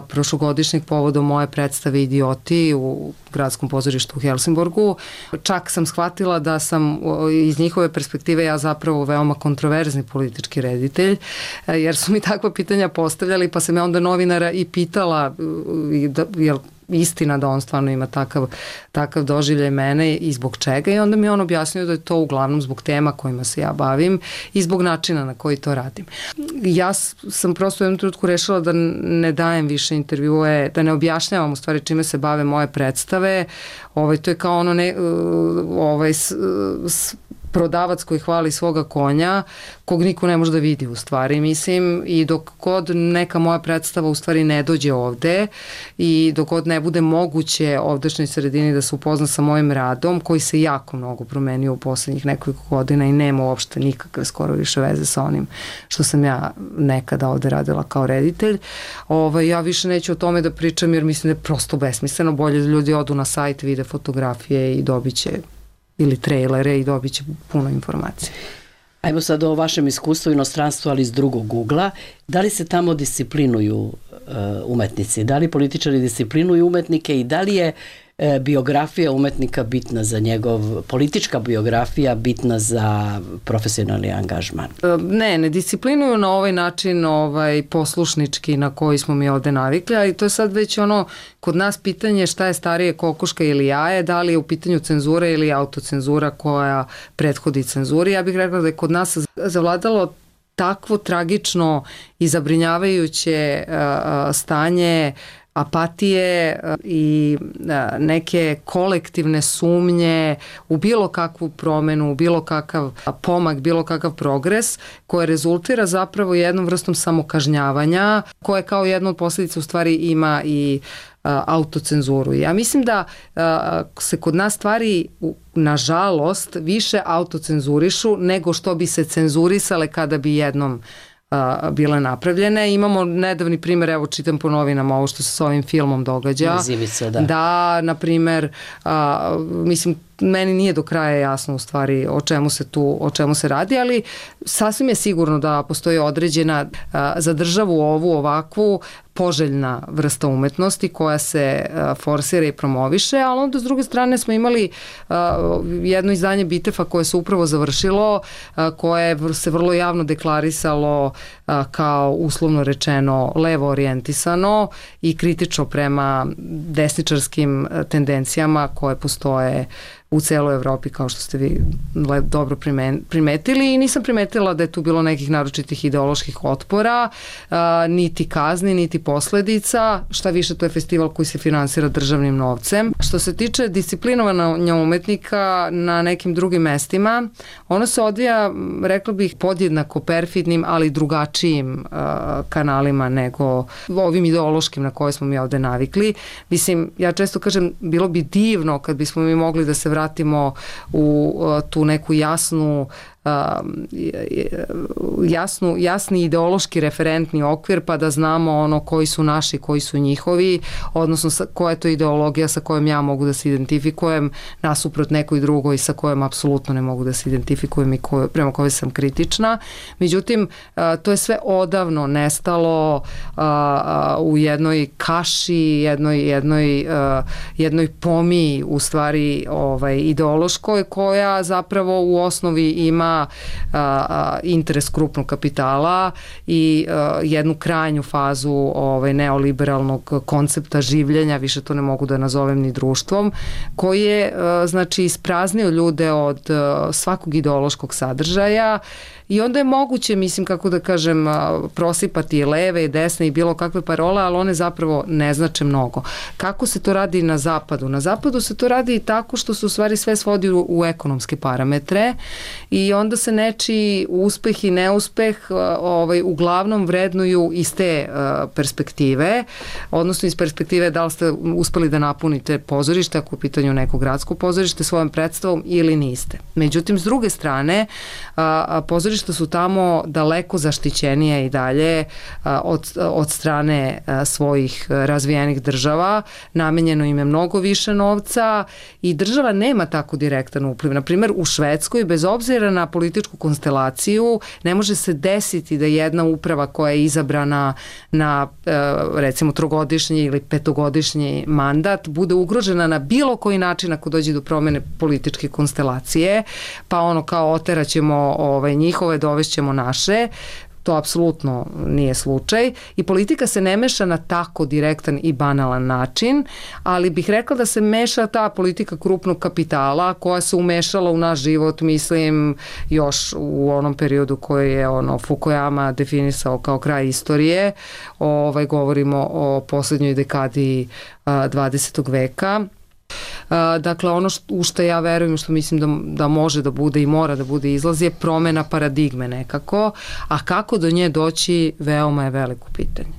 prošlogodišnjeg povodom moje predstave Idioti u gradskom pozorištu u Helsingborgu, čak sam shvatila da sam iz njihove perspektive ja zapravo veoma kontroverzni politički reditelj, jer su mi takva pitanja postavljali, pa sam ja onda novinara i pitala jel istina da on stvarno ima takav, takav doživljaj mene i zbog čega, i onda mi on objasnio da je to uglavnom zbog tema kojima se ja bavim i zbog načina na koji to radim. Ja sam prosto u jednom trenutku rešila da ne dajem više intervjue, da ne objašnjavam u stvari čime se bave moje predstave. Ovaj, to je kao ono ne, ovaj, s, s, prodavac koji hvali svoga konja, kog niko ne može da vidi u stvari, mislim, i dok god neka moja predstava u stvari ne dođe ovde i dok god ne bude moguće ovdašnjoj sredini da se upozna sa mojim radom, koji se jako mnogo promenio u poslednjih nekoliko godina i nema uopšte nikakve skoro više veze sa onim što sam ja nekada ovde radila kao reditelj, ovaj, ja više neću o tome da pričam jer mislim da je prosto besmisleno, bolje da ljudi odu na sajt, vide fotografije i dobit će ili trailere i dobit će puno informacija. Ajmo sad o vašem iskustvu u inostranstvu, ali iz drugog ugla. Da li se tamo disciplinuju uh, umetnici? Da li političari disciplinuju umetnike i da li je uh, biografija umetnika bitna za njegov, politička biografija bitna za profesionalni angažman? Ne, ne disciplinuju na ovaj način ovaj, poslušnički na koji smo mi ovde navikli, ali to je sad već ono, kod nas pitanje šta je starije, kokoška ili jaje, da li je u pitanju cenzura ili autocenzura koja prethodi cenzuri. Ja bih rekla da je kod nas zavladalo takvo tragično i zabrinjavajuće uh, stanje apatije i neke kolektivne sumnje u bilo kakvu promenu, u bilo kakav pomak, bilo kakav progres, koje rezultira zapravo jednom vrstom samokažnjavanja, koje kao jedna od posljedica u stvari ima i autocenzuru. Ja mislim da se kod nas stvari, nažalost, više autocenzurišu nego što bi se cenzurisale kada bi jednom bile napravljene. Imamo nedavni primjer, evo čitam po novinama ovo što se s ovim filmom događa. Zivica, da. Da, na primjer, a, mislim, meni nije do kraja jasno u stvari o čemu se tu, o čemu se radi, ali sasvim je sigurno da postoji određena a, za državu ovu ovakvu poželjna vrsta umetnosti koja se a, forsira i promoviše, ali onda s druge strane smo imali a, jedno izdanje Bitefa koje se upravo završilo, a, koje se vrlo javno deklarisalo a, kao uslovno rečeno levo orijentisano i kritično prema desničarskim tendencijama koje postoje u celoj Evropi, kao što ste vi dobro primetili, i nisam primetila da je tu bilo nekih naročitih ideoloških otpora, a, niti kazni, niti posledica. Šta više, to je festival koji se finansira državnim novcem. Što se tiče disciplinovanja umetnika na nekim drugim mestima, ono se odvija, rekla bih, podjednako perfidnim, ali drugačijim a, kanalima nego ovim ideološkim na koje smo mi ovde navikli. Mislim, ja često kažem, bilo bi divno kad bismo mi mogli da se vratimo vratimo u tu neku jasnu jasnu, jasni ideološki referentni okvir, pa da znamo ono koji su naši, koji su njihovi, odnosno koja je to ideologija sa kojom ja mogu da se identifikujem nasuprot nekoj drugoj sa kojom apsolutno ne mogu da se identifikujem i koje, prema kojoj sam kritična. Međutim, to je sve odavno nestalo u jednoj kaši, jednoj, jednoj, jednoj pomiji u stvari ovaj, ideološkoj, koja zapravo u osnovi ima A, a, interes krupnog kapitala i a, jednu krajnju fazu ovaj, neoliberalnog koncepta življenja, više to ne mogu da nazovem ni društvom, koji je a, znači ispraznio ljude od a, svakog ideološkog sadržaja. I onda je moguće, mislim, kako da kažem, prosipati i leve i desne i bilo kakve parole, ali one zapravo ne znače mnogo. Kako se to radi na zapadu? Na zapadu se to radi tako što se u stvari sve svodi u, u ekonomske parametre i onda se nečiji uspeh i neuspeh ovaj, uglavnom vrednuju iz te uh, perspektive, odnosno iz perspektive da li ste uspeli da napunite pozorište, ako u pitanju neko gradsko pozorište, svojom predstavom ili niste. Međutim, s druge strane, uh, pozorište su tamo daleko zaštićenije i dalje od, od strane svojih razvijenih država, namenjeno im je mnogo više novca i država nema tako direktan upliv. Naprimjer, u Švedskoj, bez obzira na političku konstelaciju, ne može se desiti da jedna uprava koja je izabrana na recimo trogodišnji ili petogodišnji mandat bude ugrožena na bilo koji način ako dođe do promene političke konstelacije, pa ono kao oteraćemo ovaj, njihove, dovešćemo naše. To apsolutno nije slučaj i politika se ne meša na tako direktan i banalan način, ali bih rekla da se meša ta politika krupnog kapitala koja se umešala u naš život, mislim, još u onom periodu koji je ono Fukuyama definisao kao kraj istorije. Ovaj, govorimo o poslednjoj dekadi a, dvadesetog veka. Dakle, ono što, u što ja verujem, što mislim da, da može da bude i mora da bude izlaz je promena paradigme nekako, a kako do nje doći veoma je veliko pitanje.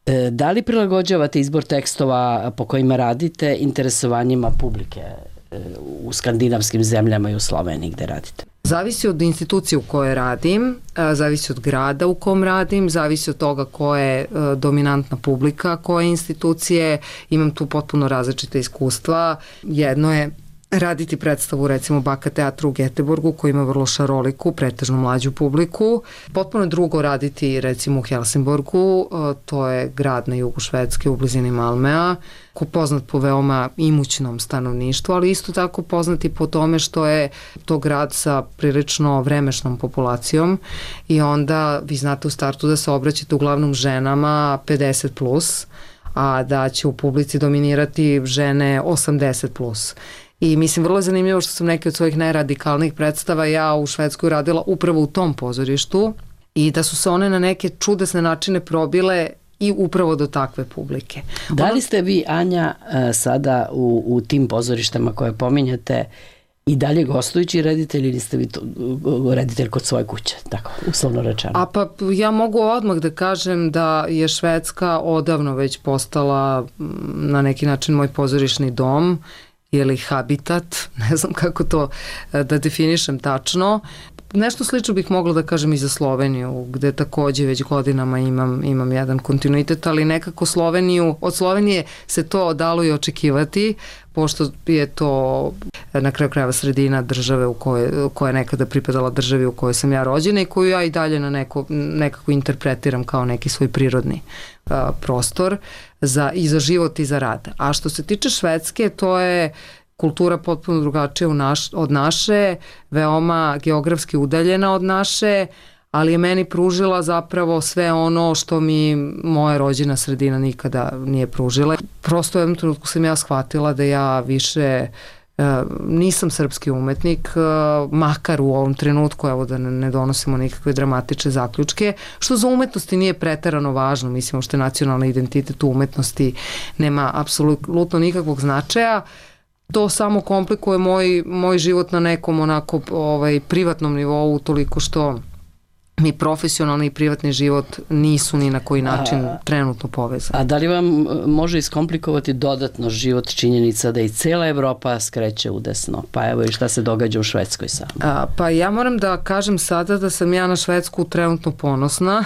E, da li prilagođavate izbor tekstova po kojima radite interesovanjima publike e, u skandinavskim zemljama i u Sloveniji gde radite? Zavisi od institucije u kojoj radim, zavisi od grada u kom radim, zavisi od toga ko je dominantna publika, koje institucije. Imam tu potpuno različite iskustva. Jedno je raditi predstavu recimo Baka teatru u Göteborgu koji ima vrlo šaroliku, pretežno mlađu publiku. Potpuno drugo raditi recimo u Helsingborgu, to je grad na jugu Švedske u blizini Malmea, poznat po veoma imućnom stanovništvu, ali isto tako poznati po tome što je to grad sa prilično vremešnom populacijom i onda vi znate u startu da se obraćate uglavnom ženama pedeset plus, a da će u publici dominirati žene osamdeset plus. I mislim, vrlo je zanimljivo što sam neke od svojih najradikalnijih predstava ja u Švedskoj radila upravo u tom pozorištu i da su se one na neke čudesne načine probile i upravo do takve publike. Da li ste vi, Anja, sada u, u tim pozorištama koje pominjate i dalje gostujući reditelj ili ste vi to, reditelj kod svoje kuće, tako, uslovno rečeno? A pa ja mogu odmah da kažem da je Švedska odavno već postala na neki način moj pozorišni dom ili habitat, ne znam kako to da definišem tačno. Nešto slično bih mogla da kažem i za Sloveniju, gde takođe već godinama imam, imam jedan kontinuitet, ali nekako Sloveniju, od Slovenije se to dalo i očekivati, pošto je to na kraju krajeva sredina države u kojoj, koja je nekada pripadala državi u kojoj sam ja rođena i koju ja i dalje na neko, nekako interpretiram kao neki svoj prirodni a, prostor za, i za život i za rad. A što se tiče Švedske, to je kultura potpuno drugačija u naš, od naše, veoma geografski udaljena od naše, ali je meni pružila zapravo sve ono što mi moja rođena sredina nikada nije pružila. Prosto u jednom trenutku sam ja shvatila da ja više uh, nisam srpski umetnik, uh, makar u ovom trenutku, evo da ne, ne donosimo nikakve dramatične zaključke, što za umetnosti nije preterano važno, mislimo što je nacionalni identitet u umetnosti nema apsolutno nikakvog značaja. To samo komplikuje moj, moj život na nekom onako ovaj, privatnom nivou, toliko što mi profesionalni i privatni život nisu ni na koji način a, trenutno povezani. A da li vam može iskomplikovati dodatno život činjenica da i cela Evropa skreće udesno? Pa evo i šta se događa u Švedskoj sad? A, pa ja moram da kažem sada da sam ja na Švedsku trenutno ponosna,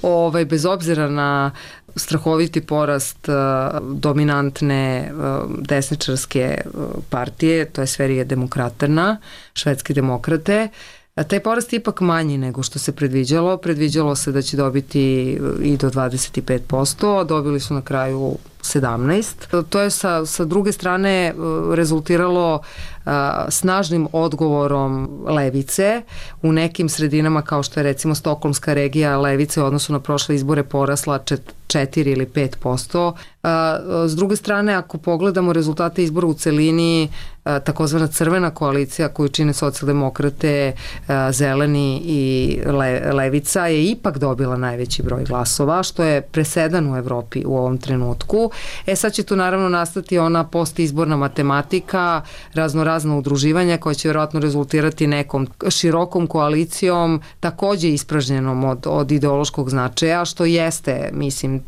ovaj, bez obzira na strahoviti porast uh, dominantne uh, desničarske uh, partije, to je Sverige demokraterna, švedski demokrate. A taj porast je ipak manji nego što se predviđalo. Predviđalo se da će dobiti i do dvadeset pet posto, a dobili su na kraju sedamnaest. To je sa, sa druge strane rezultiralo a, snažnim odgovorom levice. U nekim sredinama kao što je recimo Stokholmska regija, levice u odnosu na prošle izbore porasla četiri ili pet posto. A, s druge strane, ako pogledamo rezultate izbora u celini, a, takozvana crvena koalicija koju čine socijaldemokrate, a, zeleni i le, levica je ipak dobila najveći broj glasova, što je presedan u Evropi u ovom trenutku. E sad će tu naravno nastati ona postizborna matematika, raznorazna udruživanja koja će vjerojatno rezultirati nekom širokom koalicijom, takođe ispražnjenom od, od ideološkog značaja, što jeste, mislim,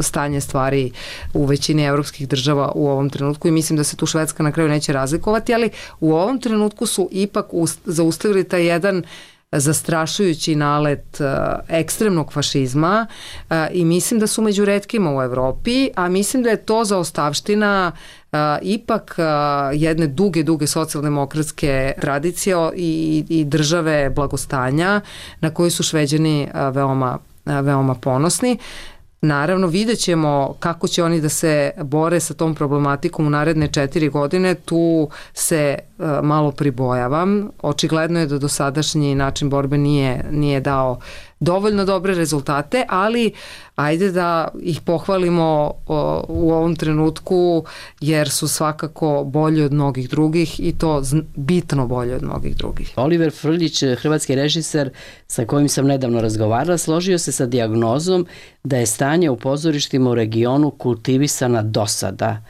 stanje stvari u većini evropskih država u ovom trenutku i mislim da se tu Švedska na kraju neće razlikovati, ali u ovom trenutku su ipak zaustavili taj jedan zastrašujući nalet uh, ekstremnog fašizma uh, i mislim da su među retkima u Evropi, a mislim da je to zaostavština uh, ipak uh, jedne duge, duge socijaldemokratske tradicije i, i države blagostanja na koju su Šveđani uh, veoma, uh, veoma ponosni. Naravno, vidjet ćemo kako će oni da se bore sa tom problematikom u naredne četiri godine. Tu se uh, malo pribojavam. Očigledno je da dosadašnji način borbe nije, nije dao dovoljno dobre rezultate, ali ajde da ih pohvalimo o, u ovom trenutku jer su svakako bolji od mnogih drugih i to bitno bolji od mnogih drugih. Oliver Frljić, hrvatski režiser sa kojim sam nedavno razgovarala, složio se sa dijagnozom da je stanje u pozorištima u regionu kultivisana dosada.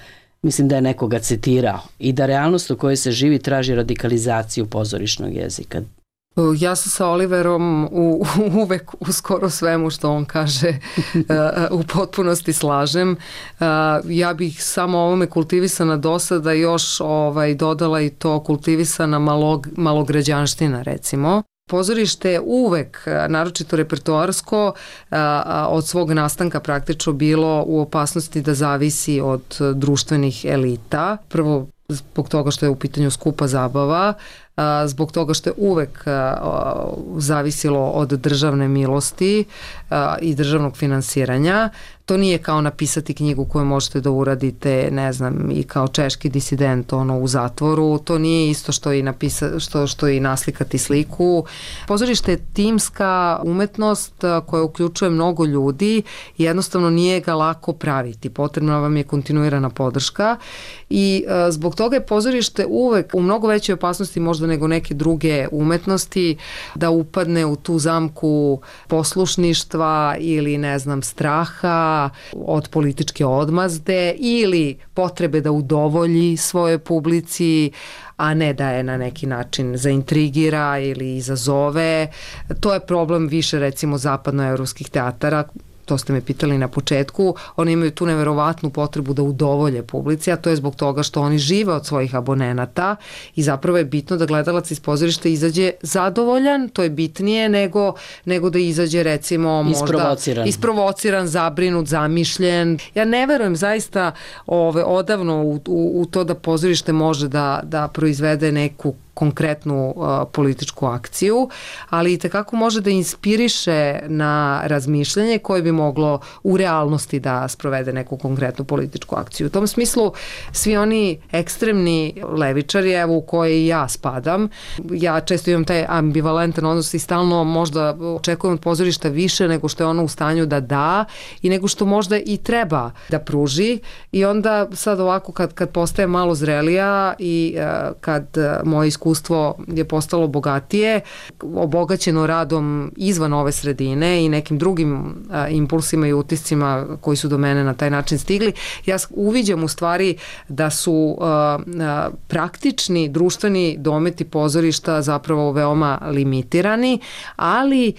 Mislim da je nekoga citirao i da realnost u kojoj se živi traži radikalizaciju pozorišnog jezika. Ja se sa Oliverom u, uvek u skoro svemu što on kaže u potpunosti slažem. Ja bih samo ovome kultivisana dosada još ovaj, dodala i to kultivisana malog, malograđanština recimo. Pozorište je uvek, naročito repertoarsko, od svog nastanka praktično bilo u opasnosti da zavisi od društvenih elita. Prvo zbog toga što je u pitanju skupa zabava, zbog toga što je uvek zavisilo od državne milosti i državnog finansiranja. To nije kao napisati knjigu koju možete da uradite, ne znam, i kao češki disident ono, u zatvoru. To nije isto što i, napisa, što, što i naslikati sliku. Pozorište je timska umetnost koja uključuje mnogo ljudi i jednostavno nije ga lako praviti. Potrebna vam je kontinuirana podrška i zbog toga je pozorište uvek u mnogo većoj opasnosti možda nego neke druge umetnosti da upadne u tu zamku poslušništva ili ne znam straha od političke odmazde ili potrebe da udovolji svojoj publici, a ne da je na neki način zaintrigira ili izazove. To je problem više recimo zapadnoevropskih teatara, to ste me pitali na početku, oni imaju tu neverovatnu potrebu da udovolje publici, a to je zbog toga što oni žive od svojih abonenata i zapravo je bitno da gledalac iz pozorišta izađe zadovoljan, to je bitnije nego, nego da izađe recimo možda isprovociran, isprovociran zabrinut, zamišljen. Ja ne verujem zaista ove, odavno u, u, u to da pozorište može da, da proizvede neku konkretnu uh, političku akciju, ali i tekako može da inspiriše na razmišljanje koje bi moglo u realnosti da sprovede neku konkretnu političku akciju. U tom smislu svi oni ekstremni levičari, evo u koje i ja spadam, ja često imam taj ambivalentan odnos i stalno možda očekujem od pozorišta više nego što je ono u stanju da da i nego što možda i treba da pruži i onda sad ovako kad, kad postaje malo zrelija i uh, kad uh, moje iskustvo je postalo bogatije, obogaćeno radom izvan ove sredine i nekim drugim a, impulsima i utiscima koji su do mene na taj način stigli. Ja uviđam u stvari da su a, a, praktični društveni dometi pozorišta zapravo veoma limitirani, ali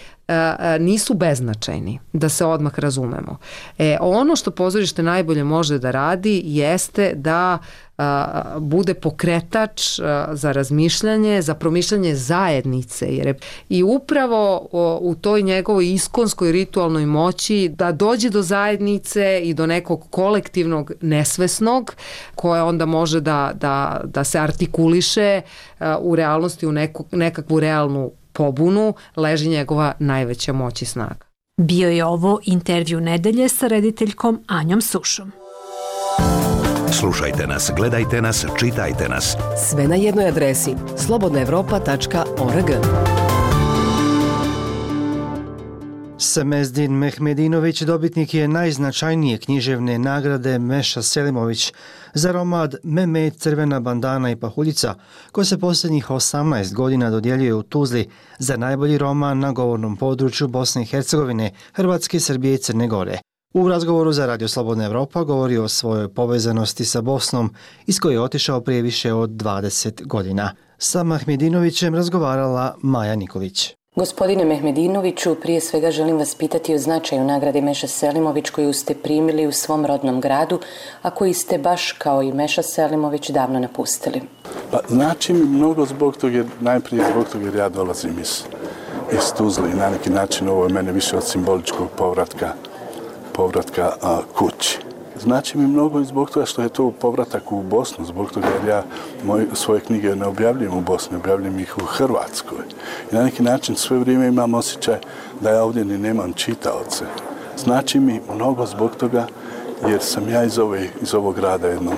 nisu beznačajni, da se odmah razumemo. E, ono što pozorište najbolje može da radi jeste da a, bude pokretač a, za razmišljanje, za promišljanje zajednice. Jer je, i upravo o, u toj njegovoj iskonskoj ritualnoj moći da dođe do zajednice i do nekog kolektivnog nesvesnog koje onda može da, da, da se artikuliše a, u realnosti, u neku, nekakvu realnu pobunu, leži njegova najveća moć i snaga. Bio je ovo intervju nedelje sa rediteljkom Anjom Sušom. Slušajte nas, gledajte nas, čitajte nas. Sve na jednoj adresi slobodna evropa tačka org. Samezdin Mehmedinović dobitnik je najznačajnije književne nagrade Meša Selimović za roman Mehmet, Crvena bandana i pahuljica, koja se posljednjih osamnaest godina dodjeljuje u Tuzli za najbolji roman na govornom području Bosne i Hercegovine, Hrvatske, Srbije i Crne Gore. U razgovoru za Radio Slobodna Evropa govori o svojoj povezanosti sa Bosnom, iz koje je otišao prije više od dvadeset godina. Sa Mehmedinovićem razgovarala Maja Nikolić. Gospodine Mehmedinoviću, prije svega želim vas pitati o značaju nagrade Meša Selimović koju ste primili u svom rodnom gradu, a koji ste baš kao i Meša Selimović davno napustili. Pa, znači mi mnogo zbog toga, najprije zbog toga jer ja dolazim iz, iz Tuzle i na neki način ovo je mene više od simboličkog povratka, povratka a, kući. Znači mi mnogo i zbog toga što je to povratak u Bosnu, zbog toga jer ja moje, svoje knjige ne objavljujem u Bosni, objavljujem ih u Hrvatskoj. I na neki način sve vrijeme imam osjećaj da ja ovdje ni nemam čitaoce. Znači mi mnogo zbog toga jer sam ja iz, ove, iz ovog grada jednom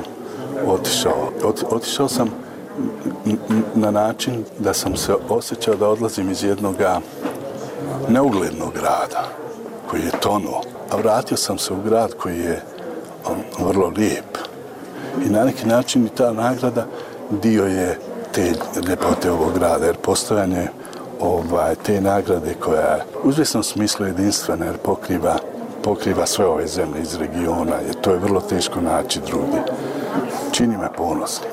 otišao. Ot, otišao sam na način da sam se osjećao da odlazim iz jednog neuglednog grada koji je tonuo, a vratio sam se u grad koji je vrlo lijep. I na neki način i ta nagrada dio je te ljepote ovog grada, jer postojanje ovaj, te nagrade koja je u izvjesnom smislu jedinstvena, jer pokriva, pokriva sve ove zemlje iz regiona, jer to je vrlo teško naći drugdje. Čini me ponosnim.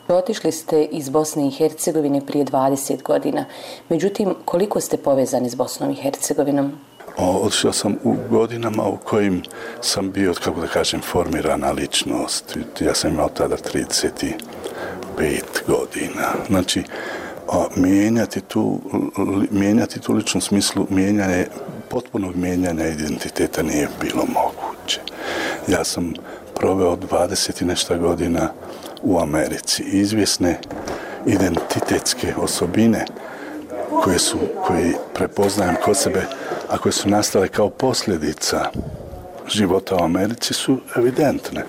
Otišli ste iz Bosne i Hercegovine prije dvadeset godina. Međutim, koliko ste povezani s Bosnom i Hercegovinom? Otišao sam u godinama u kojim sam bio, kako da kažem, formirana ličnost. Ja sam imao tada trideset pet godina. Znači, mijenjati tu, mijenjati tu ličnu smislu, mijenjanje, potpunog mijenjanja identiteta nije bilo moguće. Ja sam proveo dvadeset i nešto godina u Americi. Izvjesne identitetske osobine koje su, koje prepoznajem kod sebe, a koje su nastale kao posljedica života u Americi su evidentne.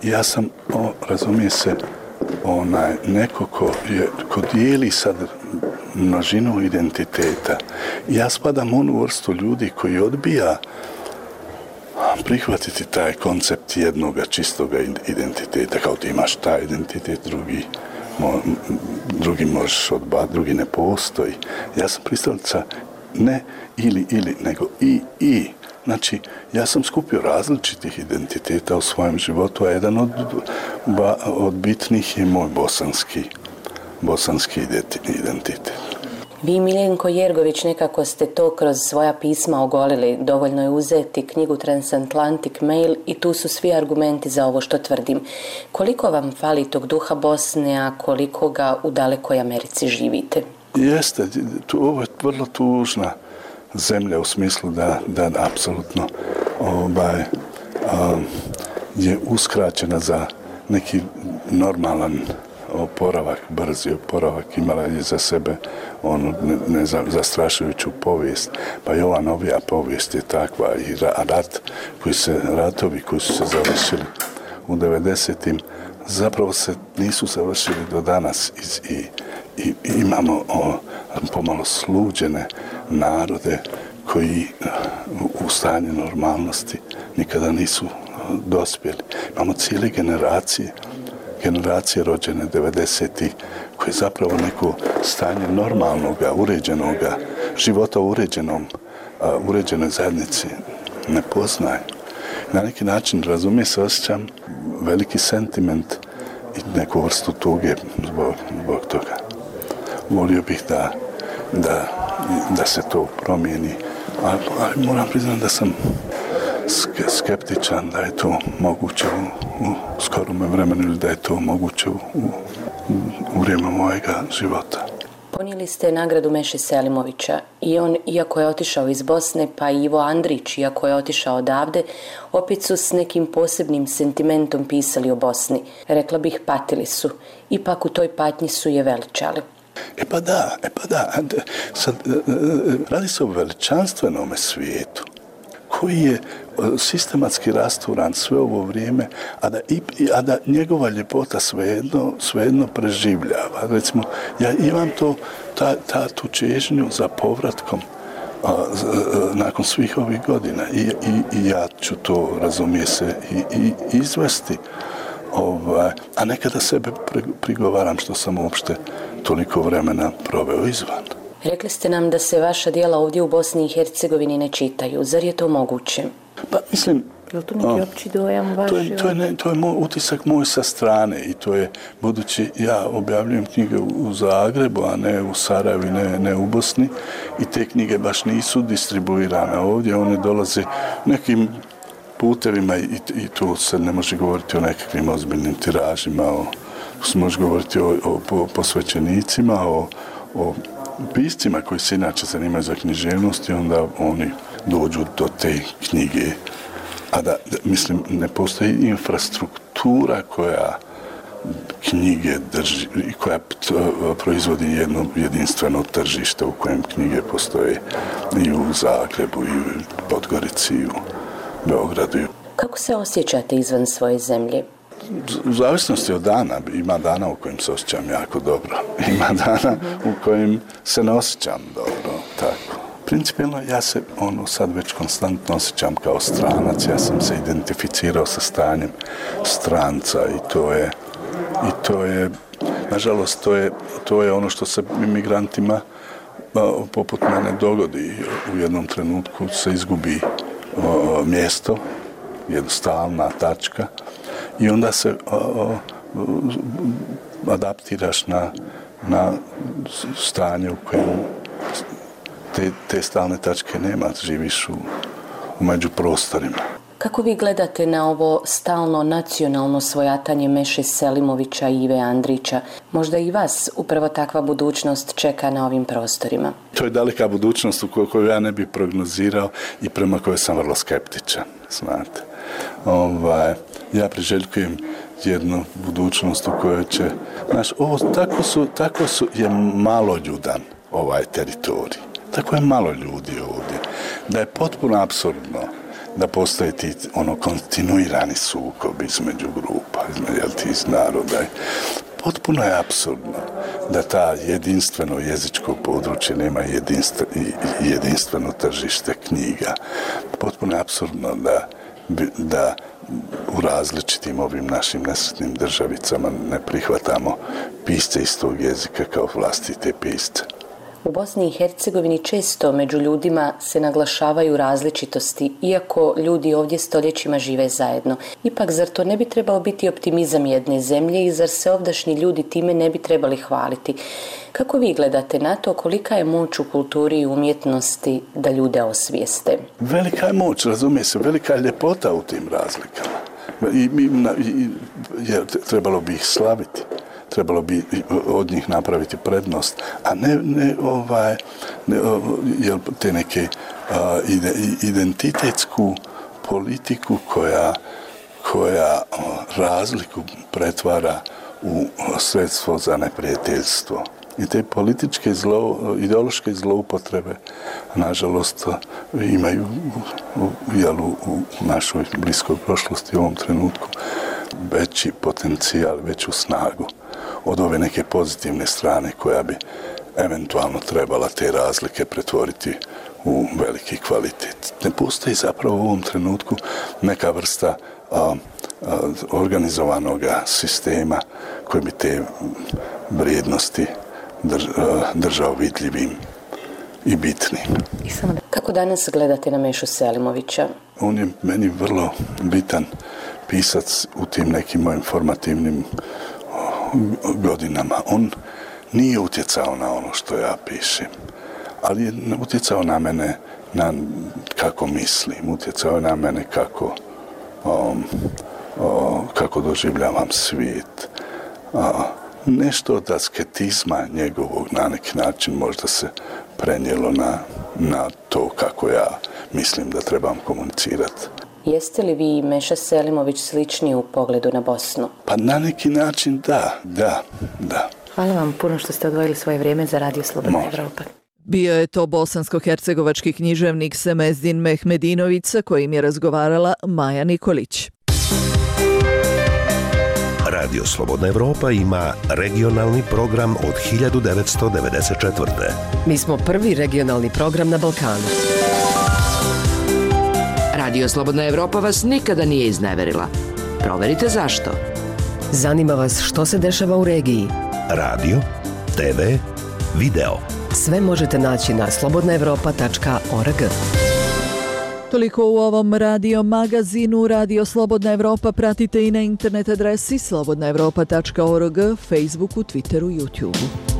Ja sam, o, razumije se, onaj, neko ko, je, ko dijeli sad množinu identiteta. Ja spadam u onu vrstu ljudi koji odbija prihvatiti taj koncept jednoga čistoga identiteta, kao ti imaš taj identitet, drugi, mo, drugi možeš odbati, drugi ne postoji. Ja sam pristalica ne ili ili, nego i i. Znači, ja sam skupio različitih identiteta u svojem životu, a jedan od, ba, od bitnih je moj bosanski, bosanski identitet. Vi, Miljenko Jergović, nekako ste to kroz svoja pisma ogolili. Dovoljno je uzeti knjigu Transatlantic Mail i tu su svi argumenti za ovo što tvrdim. Koliko vam fali tog duha Bosne, a koliko ga u dalekoj Americi živite? Jeste, tu, ovo je vrlo tužna zemlja u smislu da, da apsolutno ovaj, um, je uskraćena za neki normalan oporavak, brzi oporavak, imala je za sebe onu ne, ne znam, zastrašujuću povijest, pa i ova novija povijest je takva i rat, koji se, ratovi koji su se završili u devedesetim zapravo se nisu završili do danas i, i, i imamo o, pomalo sluđene narode koji u stanju normalnosti nikada nisu dospjeli. Imamo cijele generacije generacije rođene devedesetih koje zapravo neko stanje normalnoga, uređenoga života u uređenom, uh, uređenoj zajednici ne poznaje. Na neki način, razumije se, osjećam veliki sentiment i neku vrstu tuge zbog, zbog toga. Volio bih da, da, da se to promijeni, ali, ali moram priznati da sam skeptičan da je to moguće u, u skorom vremenu ili da je to moguće u, u, u vrijeme mojega života. Ponijeli ste nagradu Meše Selimovića i on, iako je otišao iz Bosne, pa i Ivo Andrić, iako je otišao odavde, opet su s nekim posebnim sentimentom pisali o Bosni. Rekla bih, patili su. Ipak u toj patnji su je veličali. E pa da, e pa da. Sad, radi se o veličanstvenome svijetu koji je sistematski rasturan sve ovo vrijeme, a da, i, a da njegova ljepota svejedno, svejedno preživljava. Recimo, ja imam to, ta, ta tu čežnju za povratkom a, z, a, nakon svih ovih godina i, i, i ja ću to, razumije se, i, i izvesti. Ovaj, a nekada sebe prigovaram što sam uopšte toliko vremena proveo izvan. Rekli ste nam da se vaša djela ovdje u Bosni i Hercegovini ne čitaju. Zar je to moguće? Pa mislim... Je li to neki opći dojam vaš? To je, to je, ne, to je moj utisak moj sa strane i to je, budući ja objavljujem knjige u Zagrebu, a ne u Sarajevu, ne, ne u Bosni i te knjige baš nisu distribuirane ovdje, one dolaze nekim putevima i, i tu se ne može govoriti o nekakvim ozbiljnim tiražima, o, se može govoriti o, o, o posvećenicima, o, o piscima koji se inače zanimaju za književnost i onda oni dođu do te knjige. A da, da mislim, ne postoji infrastruktura koja knjige drži i koja proizvodi jedno jedinstveno tržište u kojem knjige postoje i u Zagrebu, i u Podgorici, i u Beogradu. Kako se osjećate izvan svoje zemlje? U zavisnosti od dana, ima dana u kojim se osjećam jako dobro, ima dana u kojim se ne osjećam dobro, tako. Principijelno ja se ono sad već konstantno osjećam kao stranac, ja sam se identificirao sa stanjem stranca i to je, i to je, nažalost, to je, to je ono što se imigrantima poput mene dogodi. U jednom trenutku se izgubi o, mjesto, jednostavna tačka, i onda se o, o, adaptiraš na, na stanje u kojem te, te stalne tačke nema, živiš u, u međuprostorima. Kako vi gledate na ovo stalno nacionalno svojatanje Meše Selimovića i Ive Andrića? Možda i vas upravo takva budućnost čeka na ovim prostorima? To je daleka budućnost u koju ja ne bih prognozirao i prema kojoj sam vrlo skeptičan, znate. Ovaj, ja priželjkujem jednu budućnost u kojoj će, znaš, ovo tako su, tako su je maloljudan ovaj teritorij. Tako je malo ljudi ovdje. Da je potpuno apsurdno da postoje ti ono kontinuirani sukob između grupa, između tih naroda. Potpuno je apsurdno da ta jedinstveno jezičko područje nema jedinstvo, jedinstveno tržište knjiga. Potpuno je apsurdno da, da u različitim ovim našim nesretnim državicama ne prihvatamo pisce iz tog jezika kao vlastite pisce. U Bosni i Hercegovini često među ljudima se naglašavaju različitosti, iako ljudi ovdje stoljećima žive zajedno. Ipak, zar to ne bi trebao biti optimizam jedne zemlje i zar se ovdašnji ljudi time ne bi trebali hvaliti? Kako vi gledate na to, kolika je moć u kulturi i umjetnosti da ljude osvijeste? Velika je moć, razumije se, velika je ljepota u tim razlikama. I, i, i, je, trebalo bi ih slaviti. Trebalo bi od njih napraviti prednost, a ne, ne ovaj, ne, jel, te neke a, ide, identitetsku politiku koja, koja a, razliku pretvara u sredstvo za neprijateljstvo. I te političke zlo, ideološke zloupotrebe, nažalost, imaju jel, u, u našoj bliskoj prošlosti u ovom trenutku veći potencijal, veću snagu od ove neke pozitivne strane koja bi eventualno trebala te razlike pretvoriti u veliki kvalitet. Ne postoji zapravo u ovom trenutku neka vrsta a, a, organizovanog sistema koji bi te vrijednosti drž, a, držao vidljivim i bitnim. I samo da, kako danas gledate na Mešu Selimovića? On je meni vrlo bitan pisac u tim nekim mojim formativnim godinama. On nije utjecao na ono što ja pišem, ali je utjecao na mene na kako mislim, utjecao je na mene kako, um, um, kako doživljavam svijet. Uh, nešto od asketizma njegovog na neki način možda se prenijelo na, na to kako ja mislim da trebam komunicirati. Jeste li vi i Meša Selimović slični u pogledu na Bosnu? Pa na neki način da, da, da. Hvala vam puno što ste odvojili svoje vrijeme za Radio Slobodna Evropa. Bio je to bosansko-hercegovački književnik Semezdin Mehmedinović sa kojim je razgovarala Maja Nikolić. Radio Slobodna Evropa ima regionalni program od hiljadu devetsto devedeset četvrte. Mi smo prvi regionalni program na Balkanu. Radio Slobodna Evropa vas nikada nije izneverila. Proverite zašto. Zanima vas što se dešava u regiji. Radio, te ve, video. Sve možete naći na slobodna evropa tačka org. Toliko u ovom radio magazinu. Radio Slobodna Evropa pratite i na internet adresi slobodna evropa tačka org, Facebooku, Twitteru, YouTubeu.